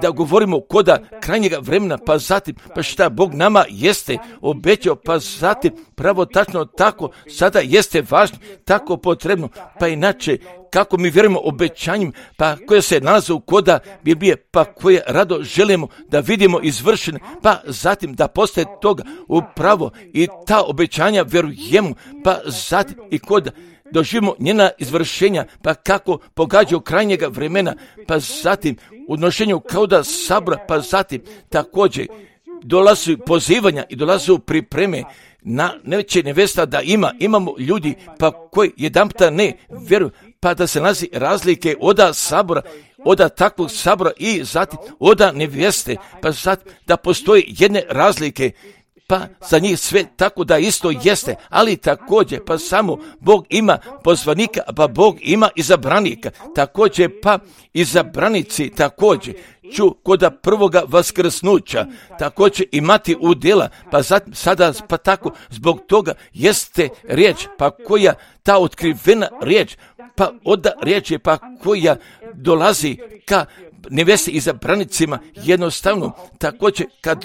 da govorimo koda krajnjega vremena, pa zatim, pa šta Bog nama jeste obećao, pa zatim pravo tačno tako sada jeste važno, tako potrebno, pa inače kako mi vjerujemo obećanjem, pa koje se nalaze u koda Biblije, pa koje rado želimo da vidimo izvršene, pa zatim da postaje toga upravo i ta obećanja vjerujemo, pa zatim i koda doživimo njena izvršenja, pa kako pogađaju krajnjega vremena, pa zatim u nošenju kauda sabora, pa zatim također dolazi pozivanja i dolazi pripreme na neće nevesta da imamo ljudi pa koji jedanputa ne vjeruju, pa da se nalazi razlike oda sabora, oda takvog sabora i zatim oda nevjeste, pa zatim da postoje jedne razlike, pa za njih sve tako da isto jeste, ali također pa samo Bog ima pozvanika, pa Bog ima izabranika, također pa izabranici također ću koda prvoga vaskrsnuća također imati udjela, pa zatim sada pa tako zbog toga jeste riječ, pa koja ta otkrivena riječ, pa oda riječ je pa koja dolazi ka nevjesti izabranicima jednostavno, također kad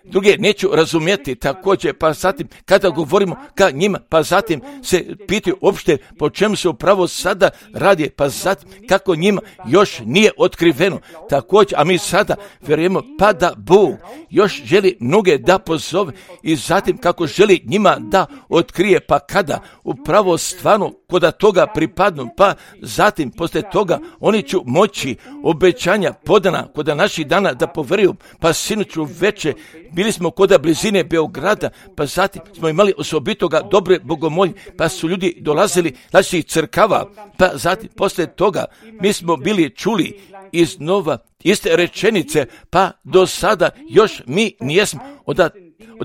druge neću razumjeti, također pa zatim kada govorimo ka njima, pa zatim se pitaju uopšte po čemu se upravo sada radi, pa zatim kako njima još nije otkriveno, također, a mi sada vjerujemo pa da Bog još želi mnoge da pozove i zatim kako želi njima da otkrije, pa kada upravo stvarno koda toga pripadnu, pa zatim poslije toga oni će moći obećanja podana koda naših dana da poveruju, pa sinoću veče bili smo koda blizine Beograda, pa zatim smo imali osobitoga dobre bogomolje, pa su ljudi dolazili naših crkava, pa zatim poslije toga mi smo bili čuli iznova iste rečenice, pa do sada još mi nijesmo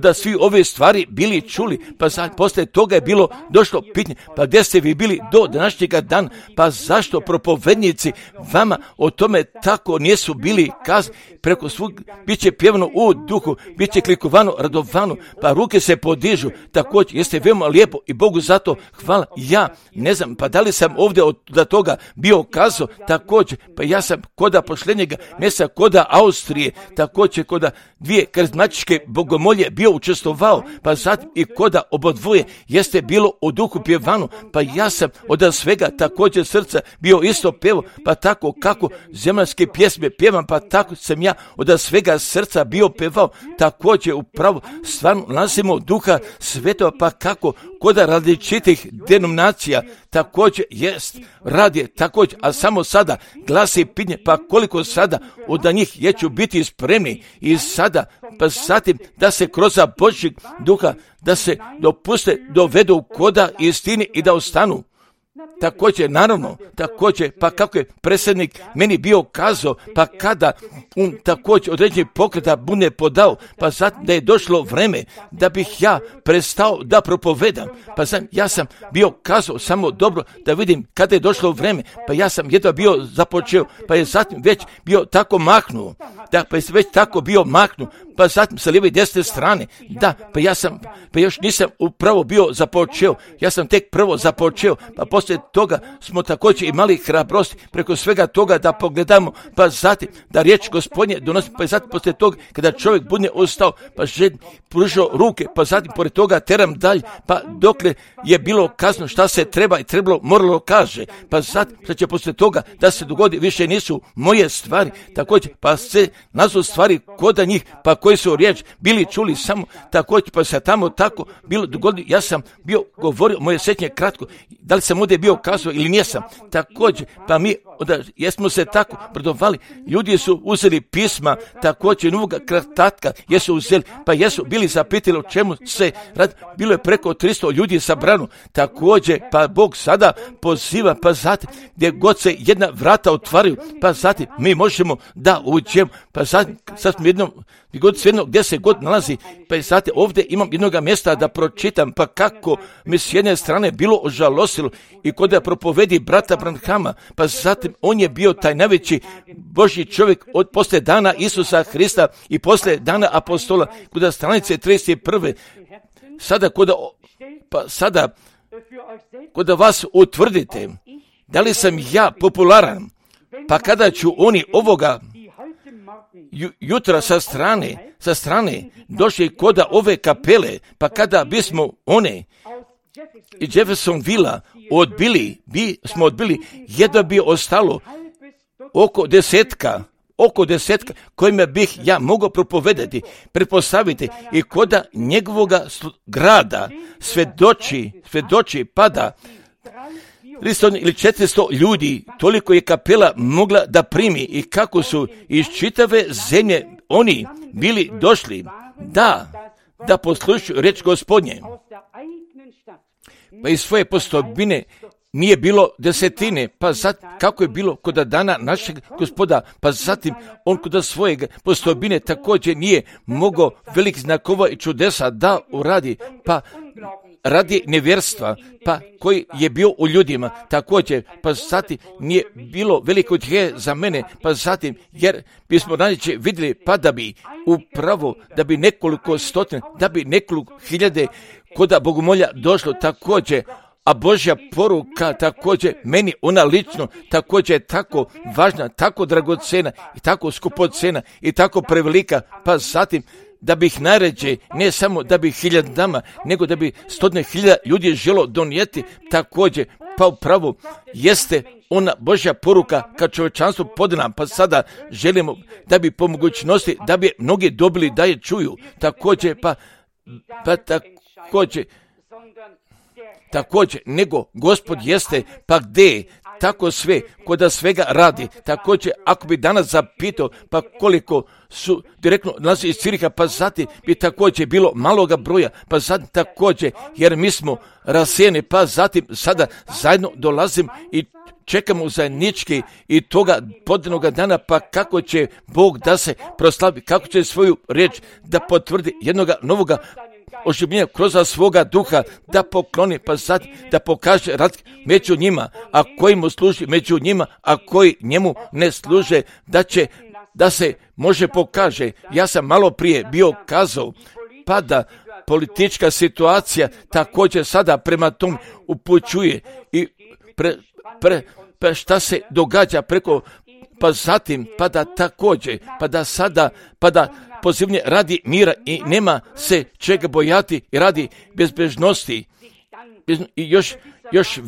da svi ove stvari bili čuli, pa sad poslije toga je bilo došlo pitanje, pa gdje ste vi bili do današnjega dana, pa zašto propovednici vama o tome tako nisu bili kazani, preko svog bit će pjevano u duhu, bit će klikovano, radovano, pa ruke se podižu, također jeste veoma lijepo i Bogu zato hvala. Ja ne znam, pa da li sam ovdje od toga bio kazao, također, pa ja sam koda posljednjega mjeseca koda Austrije, također koda dvije karizmatičke bogomolje bio učestvovao, pa zatim i koda obodvoje jeste bilo u duhu pjevano, pa ja sam od svega također srca bio isto pjevo, pa tako kako zemaljske pjesme pjevam, pa tako sam ja od svega srca bio pjevao, također upravo stvarno nalazimo duha svetova, pa kako koda različitih denominacija također jest radi također, a samo sada glasi pitanje, pa koliko sada od njih je ću biti spremni i sada, pa zatim da se kroz Božjeg duha da se dopuste dovedu koda istini i da ostanu. Također, naravno, također, pa kako je predsjednik meni bio kazao, pa kada također određeni pokreta bude podao, pa zatim da je došlo vreme da bih ja prestao da propovedam, pa zatim ja sam bio kazao samo dobro da vidim kada je došlo vreme, pa ja sam jedva bio započeo, pa je zatim već bio tako mahnuo, da, pa je već tako bio mahnuo, pa zatim sa lijeve i desne strane, da, pa još nisam upravo bio započeo, ja sam tek prvo započeo, pa poslije toga smo također imali hrabrosti preko svega toga da pogledamo, pa zatim da riječ Gospodnje donosi, pa zatim poslije toga kada čovjek bude ostao, pa pružao ruke, pa zatim pored toga teram dalje, pa dokle je bilo kazno šta se treba i moralo kaže, pa zatim što će poslije toga da se dogodi, više nisu moje stvari, također pa se nazvu stvari koda njih, pa koji su riječ bili čuli samo također, pa se tamo tako bilo dogodilo, ja sam bio govorio, moje sjećanje kratko, da li sam ovdje bio kazao ili nijesam, također, pa mi jesmo se tako brdovali, ljudi su uzeli pisma, također novog kratatka, jesu uzeli, pa jesu bili zapitali o čemu se radi, bilo je preko 300 ljudi sabrano, također, pa Bog sada poziva, pa zatim, gdje god se jedna vrata otvaraju, pa zatim mi možemo da uđemo, pa zatim, sad smo jedno, gdje se god nalazi, pa zatim ovdje imam jednoga mjesta da pročitam, pa kako mi s jedne strane bilo ožalosilo i kod da propovedi brata Branhama, pa zatim on je bio taj najveći Božji čovjek od poslije dana Isusa Hrista i poslije dana apostola, kod stranice 31. Sada kod vas utvrdite da li sam ja popularan, pa kada ću oni ovoga jutra sa strane došli kod ove kapele, pa kada bismo one iz Jeffersonvilla smo odbili, jedva bi ostalo oko desetka kojima bih ja mogao propovedati, pretpostaviti i koda njegovoga grada svedoči pada 300 ili 400 ljudi, toliko je kapela mogla da primi i kako su iz čitave zemlje oni bili došli da poslušaju reč Gospodnje. Pa iz svoje postojbine nije bilo desetine, pa kako je bilo kod dana našeg Gospoda, pa zatim on kod svojeg postojbine također nije mogao velikih znakova i čudesa da uradi, pa radi nevjerstva, pa koji je bio u ljudima također, pa zatim nije bilo veliko utjehe za mene, pa zatim jer bismo ranije vidjeli pa da bi upravo da bi nekoliko stotina, da bi nekoliko hiljade koda bogomolja došlo također, a Božja poruka također meni ona lično također je tako važna, tako dragocena i tako skupocena i tako prevelika, pa zatim da bih najređe, ne samo da bi hiljadama, nego da bi 100.000 ljudi želo donijeti također, pa upravo jeste ona Božja poruka kad čovječanstvo podana, pa sada želimo da bi po mogućnosti, da bi mnogi dobili da je čuju, također, također, nego Gospod jeste, pa gdje tako sve, koda svega radi, također, ako bi danas zapitao, pa koliko su direktno nas iz Ciriha, pa zatim bi također bilo maloga broja, pa zatim također, jer mi smo rasijeni, pa zatim sada zajedno dolazim i čekamo zajednički i toga podanoga dana, pa kako će Bog da se proslavi, kako će svoju riječ da potvrdi jednoga novoga oživljenja kroz svoga duha, da pokloni, pa sad da pokaže rad među njima, a koji mu služi među njima, a koji njemu ne služe, da se može pokaže. Ja sam malo prije bio kazao, pa da politička situacija također sada prema tom upućuje i pa šta se događa preko, pa zatim, pa da također, pa da sada, pa da pozivnje radi mira i nema se čega bojati i radi bezbrižnosti i još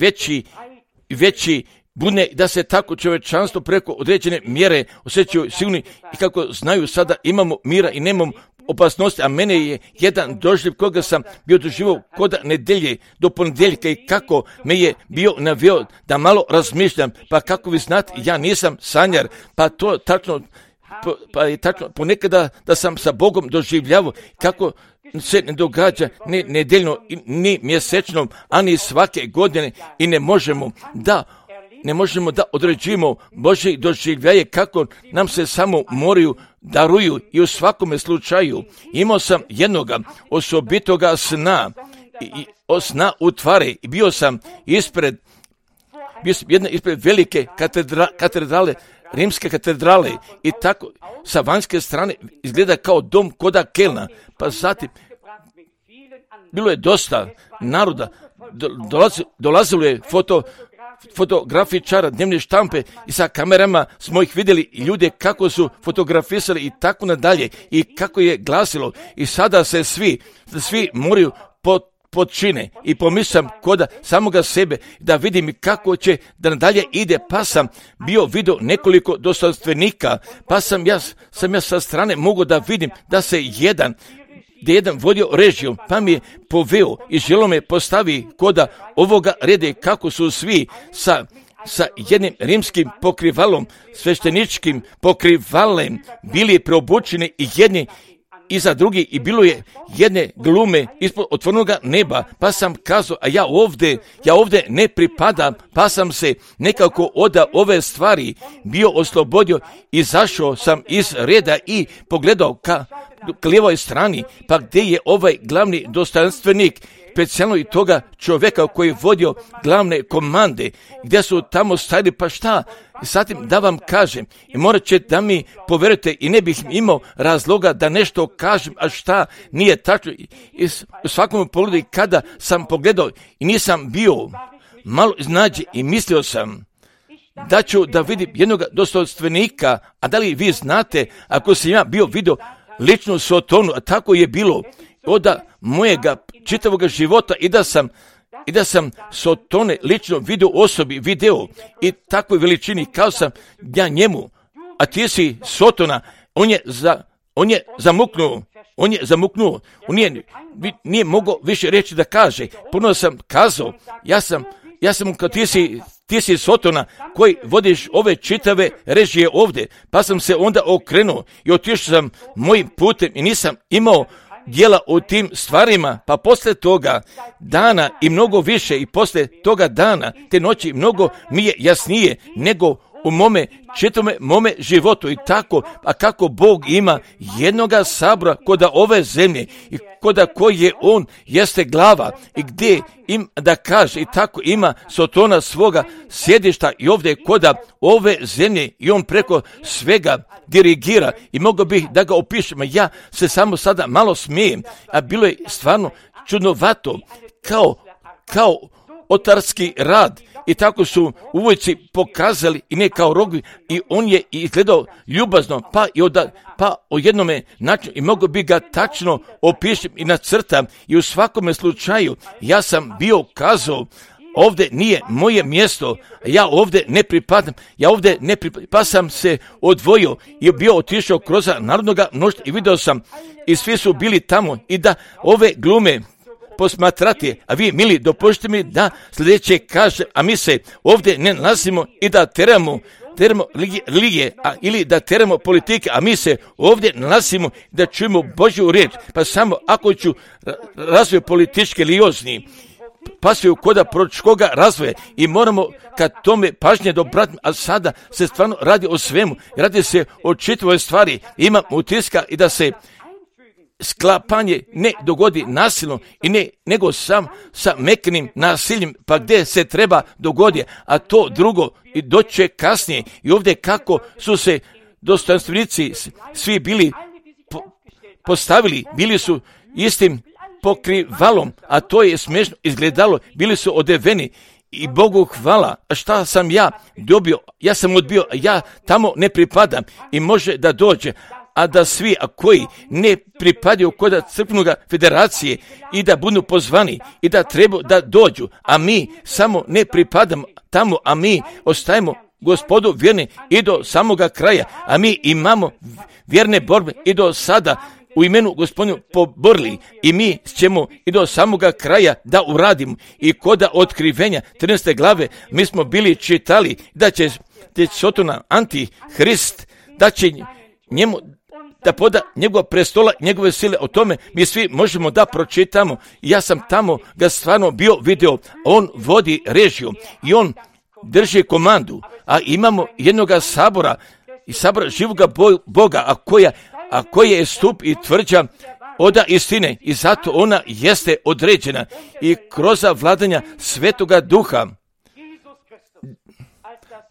veći bune da se tako čovječanstvo preko određene mjere osjećaju silni i kako znaju sada imamo mira i nemamo opasnosti, a mene je jedan doživlj koga sam bio doživio kod nedelje do ponedjeljka i kako me je bio naveo da malo razmišljam, pa kako vi znate, ja nisam sanjar, pa to tačno, pa je tačno ponekada da sam sa Bogom doživljavao kako se ne događa ni nedeljno, ni mjesečno, a ni svake godine i ne možemo da određujemo Božje doživljaje kako nam se samo moraju daruju i u svakome slučaju. Imao sam jednoga osobitoga sna u tvari i bio sam ispred velike katedrale, rimske katedrale i tako sa vanjske strane izgleda kao dom koda Kelna, pa zatim bilo je dosta naroda, dolazilo je fotografičara, dnevne štampe i sa kamerama smo ih vidjeli i ljude kako su fotografisali i tako nadalje i kako je glasilo i sada se svi moraju počine i pomislim koda samoga sebe da vidim kako će da nadalje ide, pa sam bio vidio nekoliko dostojanstvenika, pa sam ja sa strane mogao da vidim da se jedan vodio režijom, pa mi je poveo i želo me postavi koda ovoga rede kako su svi sa jednim rimskim pokrivalom, svešteničkim pokrivalem bili preobučeni i jedni iza drugi i bilo je jedne glume ispod otvorenoga neba, pa sam kazao, a ja ovdje ne pripadam, pa sam se nekako od ove stvari bio oslobodio, izašao sam iz reda i pogledao ka lijevoj strani, pa gdje je ovaj glavni dostojanstvenik, specijalno i toga čovjeka koji je vodio glavne komande, gdje su tamo stajali, pa šta? I zatim da vam kažem, i morat će da mi povjerujete i ne bih imao razloga da nešto kažem, a šta nije tačno. I u svakom pogledu kada sam pogledao i nisam bio malo iznenađen i mislio sam, da ću da vidim jednog dostojanstvenika, a da li vi znate, ako sam ja bio vidio ličnu Sotonu, a tako je bilo od mojega čitavog života i da sam Sotone lično vidio osobi, video i takvoj veličini kao sam ja njemu, a ti si Sotona, on je zamuknuo, on nije mogao više reći da kaže. Puno sam kazao, ja sam kao ti si Sotona koji vodiš ove čitave režije ovdje, pa sam se onda okrenuo i otišao sam mojim putem i nisam imao djela o tim stvarima, pa poslije toga dana i mnogo više i poslije toga dana, te noći mnogo mi je jasnije nego u mome životu i tako, a kako Bog ima jednoga sabora koda ove zemlje i koda koji je on jeste glava i gdje im da kaže i tako ima Sotona svoga sjedišta i ovdje koda ove zemlje i on preko svega dirigira i mogu bih da ga opišem, ja se samo sada malo smijem, a bilo je stvarno čudnovato kao otarski rad. I tako su uvojci pokazali i ne kao rogovi i on je izgledao ljubazno pa o jednome načinu i mogu bi ga tačno opišem i nacrtam i u svakome slučaju ja sam bio kazao ovdje nije moje mjesto, ja ovdje ne pripadam, pa sam se odvojio i bio otišao kroz narodnoga mnoštva i vidio sam i svi su bili tamo i da ove glume posmatrati, a vi mili dopustite mi da sljedeće kaže, a mi se ovdje ne nalazimo i da teramo religije, ili da teramo politike, a mi se ovdje nalazimo da čujemo Božju riječ, pa samo ako ću razvoj političke liozni, pa se u koda proročkoga razvoja i moramo kad tome pažnje dobrati, a sada se stvarno radi o svemu, radi se o čitavoj stvari, imam utiska i da se sklapanje ne dogodi nasilno i nego sam sa meknim nasiljem, pa gdje se treba dogodi, a to drugo i doće kasnije. I ovdje kako su se dostojanstvenici svi bili postavili, bili su istim pokrivalom, a to je smiješno izgledalo, bili su odeveni i Bogu hvala. A šta sam ja dobio? Ja sam odbio, ja tamo ne pripadam i može da dođe, a da svi koji ne pripadaju kod crkvenoga federacije i da budu pozvani i da treba da dođu, a mi samo ne pripadamo tamo, a mi ostajemo Gospodu vjerni i do samoga kraja, a mi imamo vjerne borbe i do sada u imenu Gospodinu poborili i mi ćemo i do samoga kraja da uradimo. I koda otkrivenja 13. glave mi smo bili čitali da će Sotona antihrist, da će njemu da poda njegova prestola, njegove sile, o tome mi svi možemo da pročitamo. Ja sam tamo ga stvarno bio video, on vodi režiju i on drži komandu, a imamo jednoga sabora i sabora živoga Boga, a koja je stup i tvrđa oda istine i zato ona jeste određena i kroz vladanja Svetoga Duha,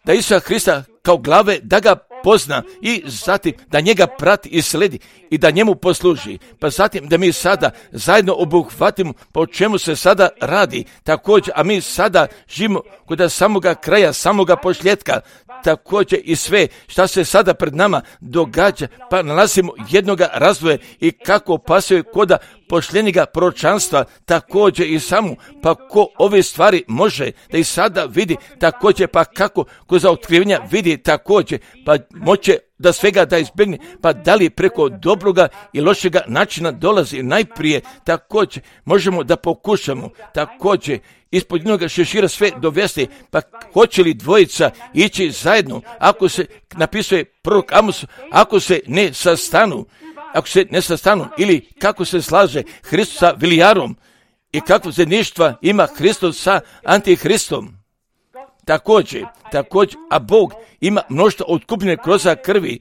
da Isusa Hrista kao glave da ga pozna i zatim da njega prati i sledi i da njemu posluži. Pa zatim da mi sada zajedno obuhvatimo po čemu se sada radi također, a mi sada živimo kod samoga kraja, samoga posljedka, također i sve šta se sada pred nama događa, pa nalazimo jednoga razvoja i kako pasuje koda pošljenjega proročanstva, također i samu, pa ko ove stvari može da i sada vidi, također pa kako ko za otkrivenja vidi također, pa moće da svega da izbjegne, pa da li preko dobroga i lošega načina dolazi najprije, također možemo da pokušamo, također ispod jednoga šešira sve dovesti, pa hoće li dvojica ići zajedno, ako se napisuje prorok Amos, ako se ne sastanu, ili kako se slaže Hristos sa Vilijarom i kako zajedništva ima Hristos sa Antihristom. Također, a Bog ima mnoštvo otkupljene kroz krvi,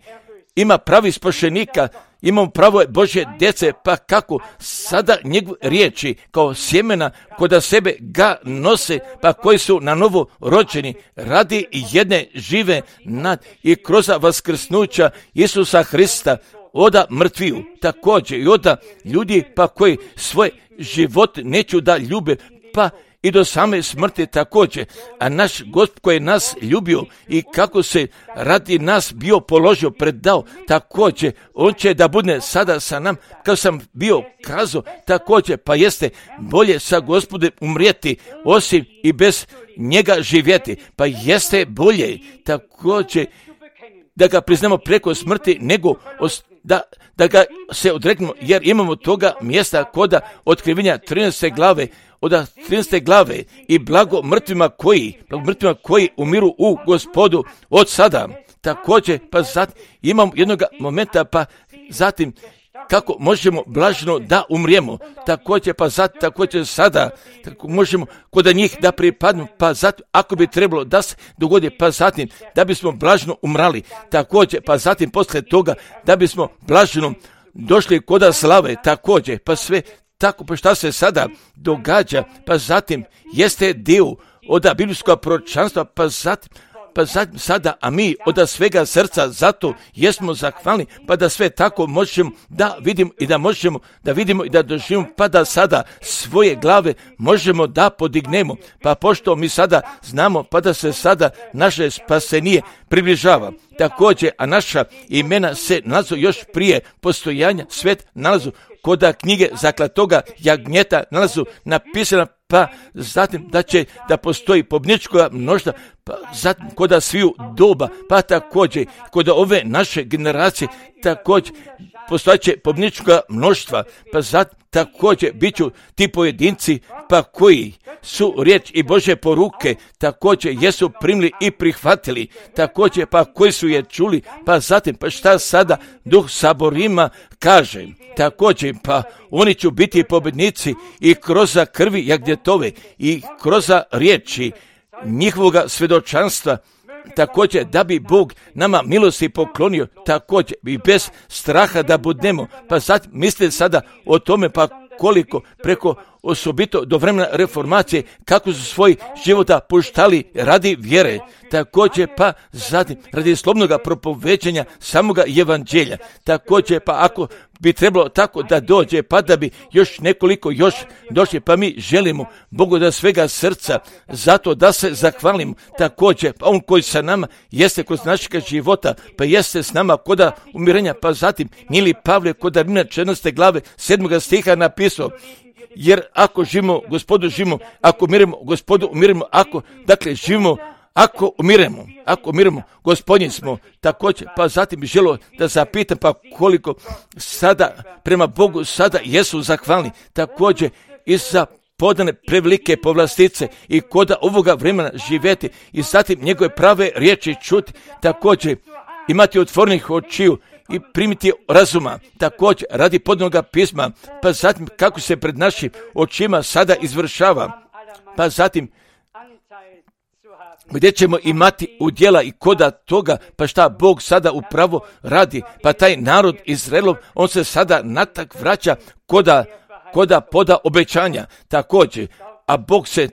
ima pravi spašenika, imamo pravo Božje djece, pa kako sada njegove riječi kao sjemena koda sebe ga nose, pa koji su na novo rođeni radi jedne žive nad i kroz vaskrsnuća Isusa Hrista oda mrtviju, također i oda ljudi pa koji svoj život neću da ljube, pa i do same smrti također, a naš Gospod koji je nas ljubio i kako se radi nas bio položio, predao, također, on će da bude sada sa nam, kao sam bio kazao, također, pa jeste bolje sa Gospodom umrijeti, osim i bez njega živjeti, pa jeste bolje također da ga priznamo preko smrti, nego da ga se odreknemo, jer imamo toga mjesta koda otkrivenja 13. glave, od 13. glave i blago mrtvima koji umiru u Gospodu od sada. Također, pa zatim imamo jednog momenta, pa zatim kako možemo blaženo da umrijemo, također pa također sada tako možemo kod njih da pripadnu, pa zatim ako bi trebalo da se dogodi, pa zatim da bismo blaženo umrali, također pa zatim poslije toga da bismo blaženo došli kod slave, također pa sve tako, pa šta se sada događa, pa zatim jeste dio od biblijskog proročanstva, pa zatim sada, a mi od svega srca zato jesmo zahvalni, pa da sve tako možemo da vidimo i da možemo da vidimo i da doživimo, pa da sada svoje glave možemo da podignemo, pa pošto mi sada znamo, pa da se sada naše spasenije približava. Također, a naša imena se nalazu još prije postojanja svet nalazu kod knjige zaklatoga jagnjeta nalazu napisana, pa zatim da će da postoji pobjednička mnoštva, pa zatim kod sviju doba, pa također kod ove naše generacije također postojeće pobjednička mnoštva, pa zatim također bit ću ti pojedinci, pa koji su riječ i Bože poruke također jesu primili i prihvatili, također pa koji su je čuli, pa zatim pa šta sada Duh saborima kaže, također pa oni će biti pobjednici i kroz krvi jagnjetove i kroz riječi njihovoga svjedočanstva, također da bi Bog nama milosti poklonio, također i bez straha da budemo, pa zatim mislite sada o tome, pa koliko preko osobito do vremena reformacije kako su svoj života puštali radi vjere, također pa zatim radi slobodnog propoveđenja samoga evanđelja, također pa ako bi trebalo tako da dođe, pa da bi još nekoliko još došli, pa mi želimo Bogu da svega srca zato da se zahvalimo, također pa on koji sa nama jeste kroz našeg života, pa jeste s nama koda umirenja, pa zatim Nili Pavle koda Rimljana 14. glave 7. stiha napisao, jer ako živimo Gospodu živimo, ako umiremo Gospodu umiremo, ako dakle živimo, ako umiremo, Gospodnji smo. Također, pa zatim bih želio da zapitam, pa koliko sada prema Bogu sada jesu zahvalni, također i za podane prevelike povlastice i koda ovoga vremena živjeti i zatim njegove prave riječi čuti, također imati otvorenih očiju i primiti razuma, također radi podnoga pisma, pa zatim kako se pred našim očima sada izvršava, pa zatim gdje ćemo imati udjela i koda toga, pa šta Bog sada upravo radi, pa taj narod Izraelov, on se sada natak vraća koda poda obećanja, također, a Bog se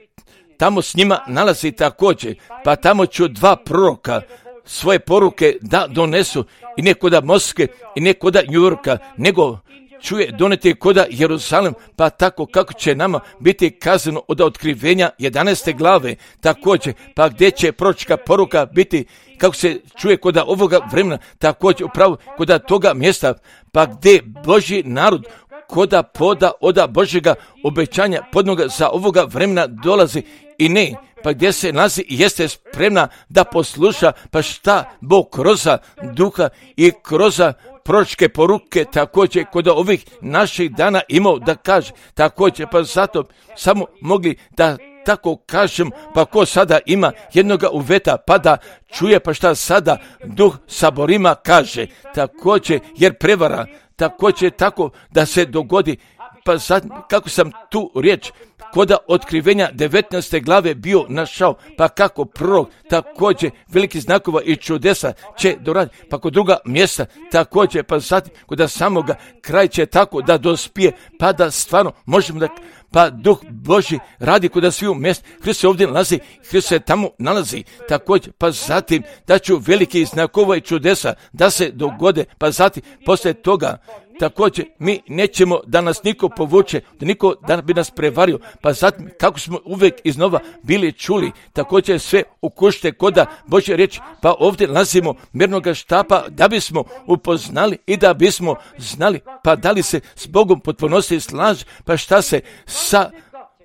tamo s njima nalazi također, pa tamo ću dva proroka svoje poruke da donesu i ne koda Moskve i ne koda New Yorka, nego čuje doneti koda Jeruzalem, pa tako kako će nama biti kazano od otkrivenja 11. glave, također, pa gdje će proročka poruka biti, kako se čuje koda ovoga vremena, također upravo koda toga mjesta, pa gdje Božji narod koda poda od Božjega obećanja podnoga za ovoga vremena dolazi i ne, pa gdje se nalazi i jeste spremna da posluša, pa šta Bog kroz duha i kroz proročke poruke također kod ovih naših dana imao da kaže, također pa zato samo mogli da tako kažem, pa ko sada ima jednoga uveta pa da čuje, pa šta sada Duh saborima kaže, također jer prevara, također tako da se dogodi, pa sad kako sam tu riječ koda otkrivenja 19. glave bio našao, pa kako prorok također veliki znakova i čudesa će doraditi, pa kod druga mjesta također, pa zatim kod samoga kraj će tako da dospije, pa da stvarno možemo da, pa Duh Božji radi kod sviju mjesta, Hrist se ovdje nalazi, Hrist se tamo nalazi, također, pa zatim da ću veliki znakova i čudesa da se dogode, pa zatim poslije toga također mi nećemo da nas niko povuče, da niko da bi nas prevario, pa zatim kako smo uvijek iznova bili čuli, također sve ukušte koda Božje riječi, pa ovdje nalazimo mjernoga štapa da bismo upoznali i da bismo znali, pa da li se s Bogom potpunosti slaže, pa šta se sa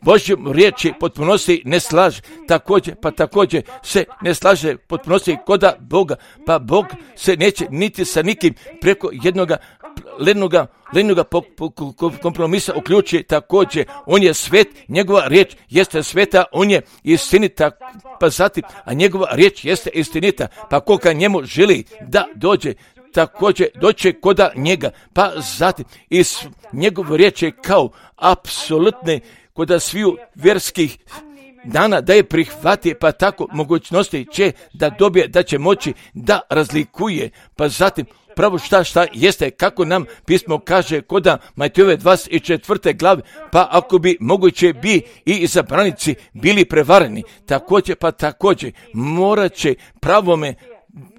Božjom riječi potpunosti ne slaže, također se ne slaže potpunosti koda Boga, pa Bog se neće niti sa nikim preko jednoga lenoga kompromisa uključi, također on je svet, njegova riječ jeste sveta, on je istinita, pa zatim, a njegova riječ jeste istinita, pa koga njemu želi da dođe, također doće koda njega, pa zatim iz njegove riječi kao apsolutne koda sviju vjerskih dana da je prihvati, pa tako mogućnosti će da dobije, da će moći da razlikuje, pa zatim pravo šta jeste, kako nam pismo kaže koda Matejove 24. glave, pa ako bi moguće bi i izabranici bili prevareni, također morat će pravome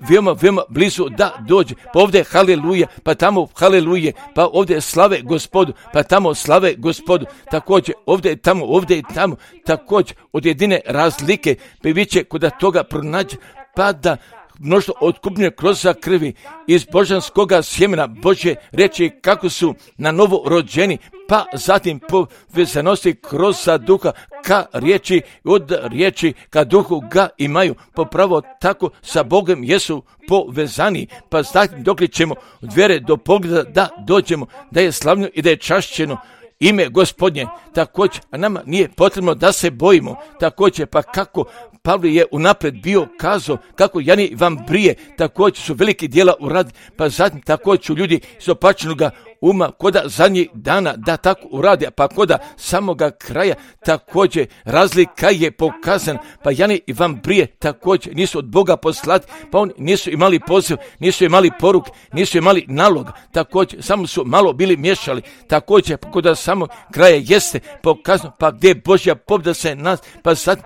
veoma blizu da dođe, pa ovdje haleluja, pa tamo haleluja, pa ovdje slave Gospodu, pa tamo slave Gospodu, također ovdje i tamo, također od jedine razlike bi biće kod toga pronađe, pa da mnoštvo otkupljene kroz krvi iz božanskoga sjemena Božje reći kako su na novo rođeni, pa zatim povezanosti kroz duha ka riječi, od riječi ka duhu ga imaju, popravo tako sa Bogom jesu povezani, pa zatim dok ćemo od vjere do pogleda da dođemo, da je slavno i da je čašćeno ime Gospodnje, također, a nama nije potrebno da se bojimo, također, pa kako Pavle je unaprijed bio kazao, kako Jani vam brije, također su veliki djela uradi, pa zatim također su ljudi iz opačenoga uma, koda zadnjih dana da tako uradi, pa koda samoga kraja također razlika je pokazan, pa Jani vam brije također nisu od Boga poslati, pa oni nisu imali poziv, nisu imali poruk, nisu imali nalog, također samo su malo bili miješali, također koda samog kraja jeste pokazano, pa gdje je Božja pobjeda se nas, pa sad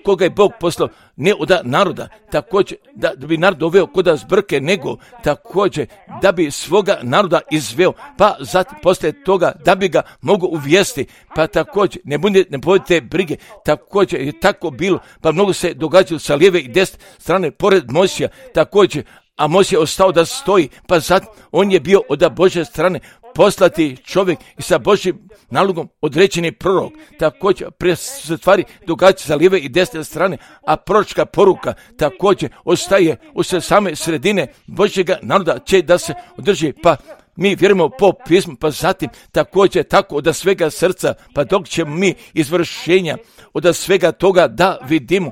koga je Bog poslao, ne od naroda, također da bi narod doveo koda zbrke, nego također da bi svoga naroda izveo, pa zatim poslije toga da bi ga mogu uvijesti, pa također ne budite brige, također je tako bilo, pa mnogo se događalo sa lijeve i desne strane pored Mojsija, također, a Mojsije ostao da stoji, pa zatim on je bio od Božje strane poslati čovjek i sa Božjim nalogom određeni prorok, također se stvari događa sa lijeve i desne strane, a proročka poruka također ostaje u same sredine Božjega naroda će da se održi, pa mi vjerujemo po pismu, pa zatim također tako od svega srca, pa dok ćemo mi izvršenja od svega toga da vidimo,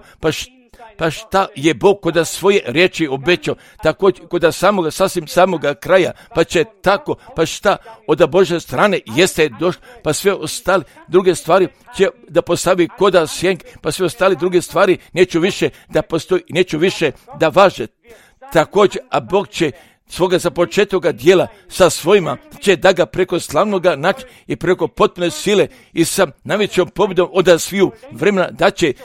pa šta je Bog kod svoje riječi obećao, također kod sasvim samoga kraja, pa će tako, pa šta od Božje strane jeste došlo, pa sve ostale druge stvari će da postavi koda sjenk, pa sve ostale druge stvari neću više da postoji, neću više da važe. Također, a Bog će svoga započetoga dijela sa svojima će da ga preko slavnoga načina i preko potpune sile i sa najvećom pobjedom od sviju vremena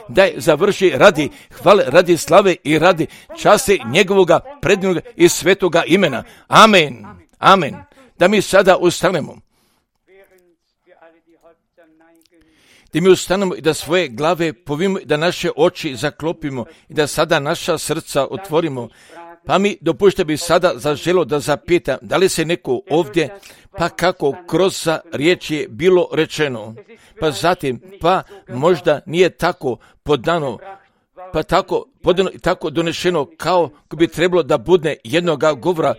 da je završi radi hvale, radi slave i radi časti njegovoga predivnoga i svetoga imena. Amen. Amen. Da mi sada ustanemo. Da mi ustanemo i da svoje glave povimo, da naše oči zaklopimo i da sada naša srca otvorimo. Pa mi dopušte bi sada zaželo da zapitam, da li se neko ovdje, pa kako kroz riječ je bilo rečeno, pa zatim, pa možda nije tako podano, pa tako podano i tako donešeno kao bi trebalo da bude jednoga govora,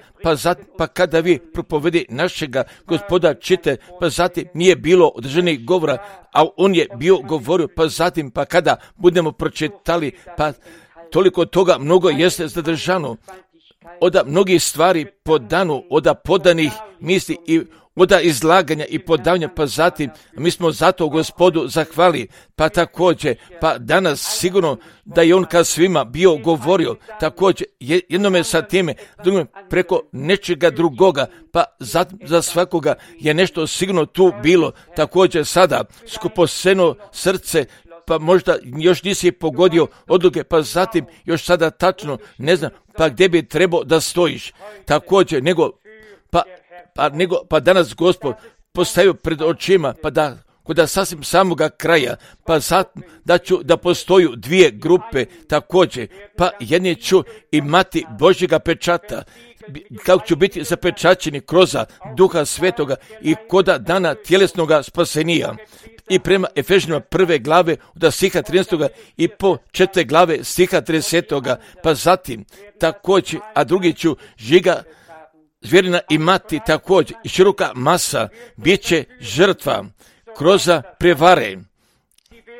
pa kada vi propovedi našega Gospoda čite, pa zatim nije bilo održanih govora, a on je bio govorio, pa zatim, pa kada budemo pročitali, pa toliko toga mnogo jeste zadržano, od mnogih stvari podano, od podanih misli i od izlaganja i podavanja, pa zatim mi smo zato Gospodu zahvali, pa također, pa danas sigurno da je on kad svima bio govorio, također jednome sa time, drugome preko nečega drugoga, pa za svakoga je nešto sigurno tu bilo, također sada skuposeno srce, pa možda još nisi pogodio odluke, pa zatim još sada tačno ne znam, pa gdje bi trebao da stojiš, također, nego pa danas Gospod postavio pred očima, pa da kod sasvim samoga kraja, pa da postoju dvije grupe također, pa jedni ću imati Božjega pečata, kako ću biti zapečaćeni kroz Duha Svetoga i koda dana tjelesnoga spasenija. I prema Efežanima 1. glave od stiha 13. i po 4. glave stiha 30. pa zatim također, a drugi ću žiga zvjerina imati također i široka masa bit će žrtva kroz prevare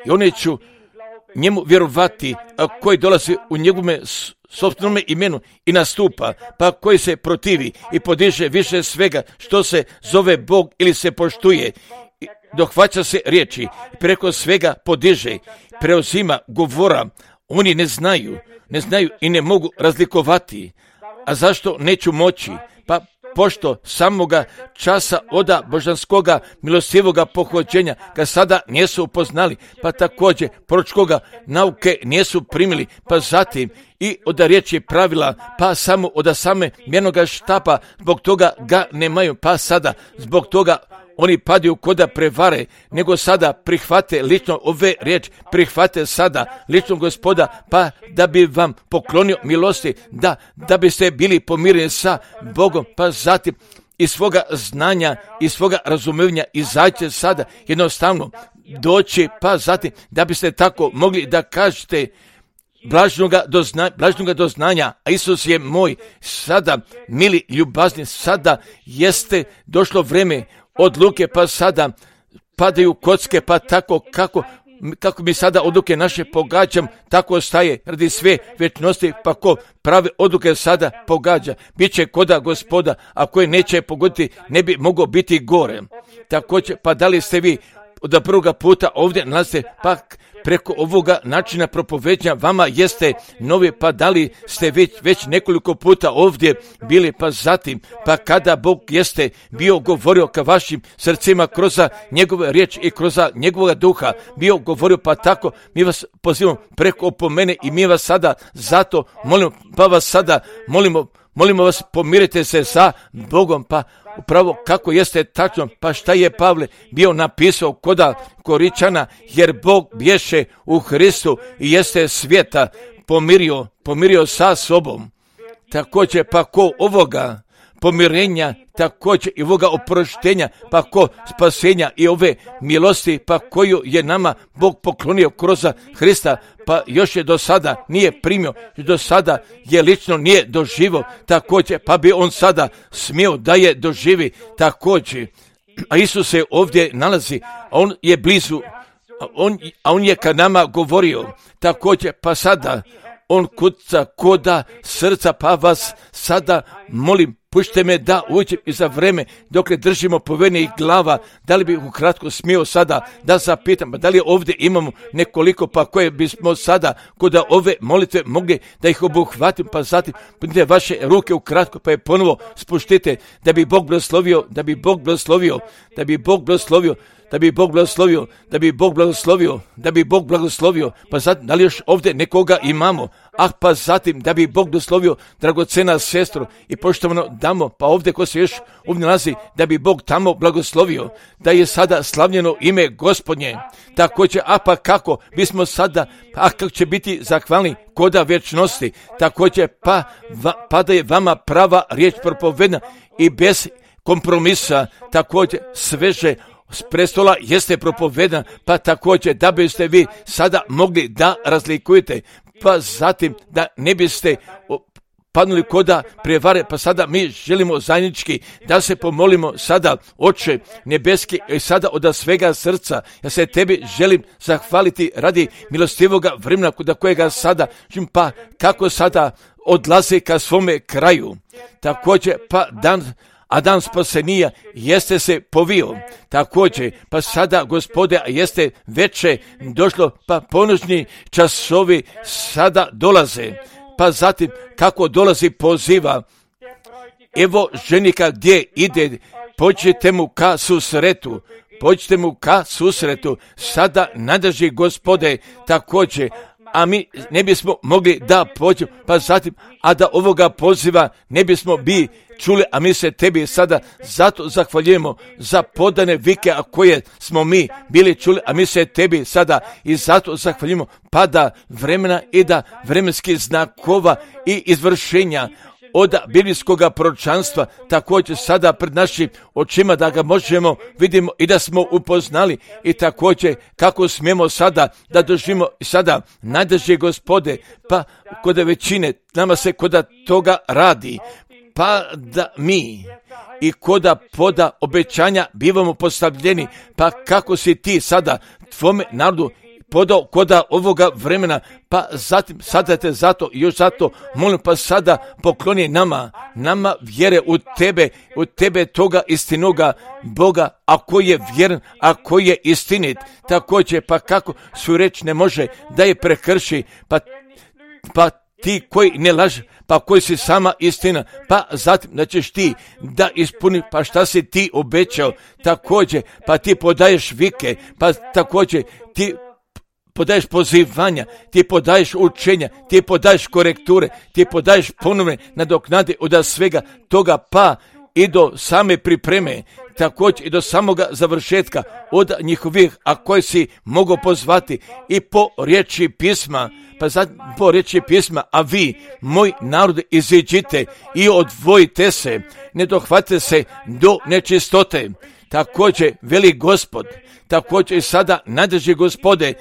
i oni ću njemu vjerovati, a koji dolazi u njegovome sopstvenome imenu i nastupa, pa koji se protivi i podiže više svega što se zove Bog ili se poštuje, dohvaća se riječi, preko svega podiže, preuzima govora, oni ne znaju i ne mogu razlikovati. A zašto neću moći? Pa pošto samoga časa oda božanskoga milostivoga pohođenja ga sada nisu upoznali, pa također proročkoga nauke nisu primili, pa zatim i od riječi pravila, pa samo od same mjernoga štapa, zbog toga ga nemaju, pa sada zbog toga oni padaju koda prevare, nego sada prihvate lično ove riječi, prihvate sada lično Gospoda, pa da bi vam poklonio milosti, da biste bili pomireni sa Bogom, pa zatim iz svoga znanja, iz svoga razumevanja izađe sada jednostavno doći, pa zatim da biste tako mogli da kažete blažnoga doznanja, a Isus je moj, sada, mili ljubazni, sada jeste došlo vreme odluke, pa sada padaju kocke, pa tako kako mi sada odluke naše pogađam, tako ostaje radi sve večnosti, pa ko prave odluke sada pogađa, bit će koda Gospoda, a koje neće pogoditi ne bi moglo biti gore. Također, pa da li ste vi od prvoga puta ovdje nalazite, pa preko ovoga načina propoveđanja vama jeste novi, pa da li ste već nekoliko puta ovdje bili, pa zatim, pa kada Bog jeste bio govorio ka vašim srcima kroz njegove riječi i kroz njegovog duha, bio govorio, pa tako mi vas pozivamo preko opomene i mi vas sada zato molimo, pa vas sada molimo vas, pomirite se sa Bogom, pa upravo kako jeste tačno, pa šta je Pavle bio napisao koda Koričana, jer Bog bješe u Hristu i jeste svijeta pomirio sa sobom. Također, pa ko ovoga pomirenja, također i ovoga oproštenja, pa ko spasenja i ove milosti, pa koju je nama Bog poklonio kroz Hrista, pa još je do sada nije primio, do sada je lično nije doživo, također, pa bi on sada smio da je doživi također. A Isus se ovdje nalazi, a on je blizu, a on je ka nama govorio, također, pa sada on kuca koda srca, pa vas sada molim, pušite me da uđem i za vreme dok držimo povedenih glava, da li bi ukratko smio sada da zapitam, da li ovdje imamo nekoliko, pa koje bismo sada kod ove molitve mogli da ih obuhvatim, pa zatim podignite vaše ruke ukratko, pa je ponovo spuštite, da bi Bog blagoslovio, da bi Bog blagoslovio, da bi Bog blagoslovio, da bi Bog blagoslovio, da bi Bog blagoslovio, da bi Bog blagoslovio, pa zatim, da li još ovdje nekoga imamo, pa zatim, da bi Bog blagoslovio, dragocena sestro, i poštovano damo, pa ovdje ko se još ovdje nalazi, da bi Bog tamo blagoslovio, da je sada slavljeno ime Gospodnje, također, pa kako bismo sada, kako će biti zahvalni koda vječnosti, također, pa da je vama prava riječ propovedna i bez kompromisa, također, sveže s prestola jeste propovedana, pa također da biste vi sada mogli da razlikujete, pa zatim da ne biste padnuli koda prevare, pa sada mi želimo zajednički da se pomolimo sada, Oče nebeski, i sada od svega srca, ja se tebi želim zahvaliti radi milostivoga vremena kod kojega sada, pa kako sada odlaze ka svome kraju, također pa dan spasenija jeste se povio, također, pa sada, Gospode, jeste veće došlo, pa ponoćni časovi sada dolaze, pa zatim kako dolazi poziva, evo ženika gdje ide, pođite mu ka susretu, sada nadrži Gospode, također, a mi ne bismo mogli da pođemo, pa zatim, a da ovoga poziva ne bismo bi čuli, a mi se tebi sada zato zahvaljujemo za podane vike, a koje smo mi bili čuli, a mi se tebi sada i zato zahvaljujemo, pa da vremena i da vremenskih znakova i izvršenja od biblijskog proročanstva također sada pred našim očima da ga možemo vidimo i da smo upoznali i također kako smijemo sada da doživimo sada najdrže Gospode, pa kod većine nama se kod toga radi, pa da mi i koda poda obećanja bivamo postavljeni, pa kako si ti sada tvome narodu podao koda ovoga vremena, pa zatim sada te zato i još zato molim, pa sada pokloni nama vjere u tebe toga istinoga Boga, ako je vjeran, ako je istinit, također pa kako svoju reč ne može da je prekrši, pa ti koji ne laže, pa koji si sama istina, pa zatim da ćeš ti da ispuni, pa šta si ti obećao, također, pa ti podaješ vike, pa također ti podaješ pozivanja, ti podaješ učenja, ti podaješ korekture, ti podaješ ponovne nadoknade od svega toga, pa i do same pripreme, također i do samoga završetka od njihovih, a koje si mogu pozvati i po riječi pisma, pa zatim po riječi pisma, a vi, moj narod, iziđite i odvojite se, ne dohvate se do nečistote. Također veli Gospod, također i sada najdrži Gospode,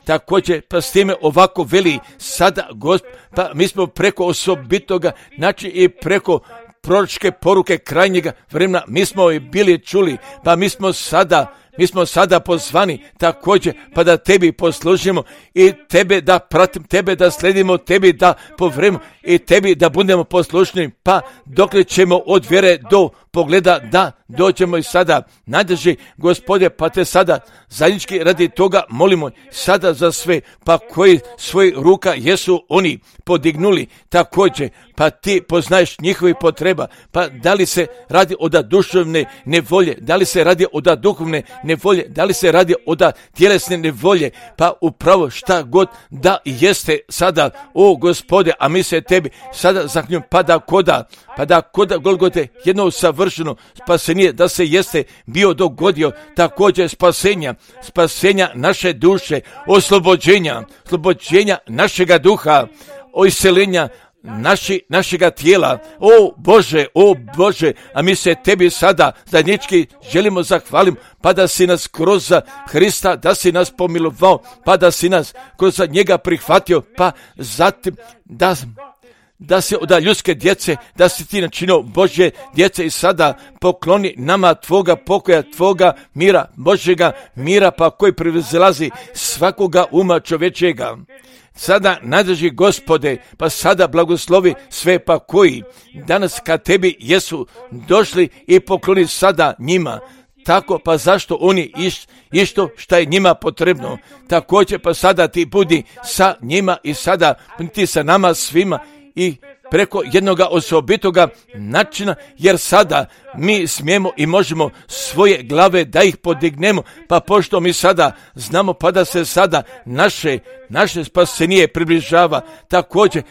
također, pa s time ovako veli sada Gospod, pa mi smo preko osobitoga, znači i preko proročke poruke krajnjega vremena, mi smo i bili čuli, pa mi smo sada pozvani također, pa da tebi poslužimo i tebe da pratim, tebe da sledimo, tebi da povremo i tebi da budemo poslušni, pa dokle ćemo od vjere do pogleda da dođemo i sada najdrži Gospode, pa te sada zajednički radi toga molimo sada za sve, pa koji svoj ruka jesu oni podignuli također, pa ti poznaješ njihovih potreba, pa da li se radi od duševne nevolje, da li se radi od duhovne nevolje, da li se radi od tjelesne nevolje, pa upravo šta god da jeste sada, o Gospode, a mi se tebi sada zahvaljujemo, pa da koda Golgote jedno savršeno spasenje da se jeste bio dogodio, također spasenja naše duše, oslobođenja našega duha, iseljenja našega tijela, o Bože, a mi se tebi sada zajednički želimo zahvalim, pa da si nas kroz Hrista, da si nas pomilovao, pa da si nas kroz njega prihvatio, pa zatim da se od ljudske djece, da si ti načinio Božje djece i sada pokloni nama tvoga pokoja, tvoga mira, Božjega mira, pa koji prevazilazi svakoga uma čovječega. Sada najdrži Gospode, pa sada blagoslovi sve, pa koji danas kad tebi jesu došli i pokloni sada njima. Tako, pa zašto oni išto šta je njima potrebno. Također, pa sada ti budi sa njima i sada ti sa nama svima i preko jednoga osobitoga načina, jer sada mi smijemo i možemo svoje glave da ih podignemo, pa pošto mi sada znamo, pa da se sada naše spasenije približava, također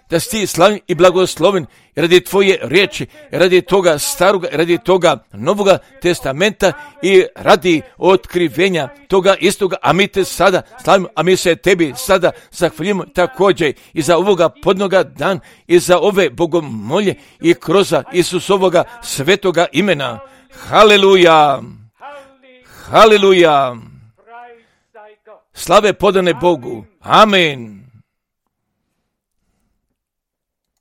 da si ti slavljen i blagosloven radi tvoje riječi, radi toga staroga, radi toga novoga testamenta i radi otkrivenja toga istoga, a mi te sada slavimo, a mi se tebi sada zahvaljujemo također i za ovoga podnoga dan i za ove bogomolje i kroz Isusovoga svetoga imena. Haleluja! Haleluja! Slave podane Bogu. Amen.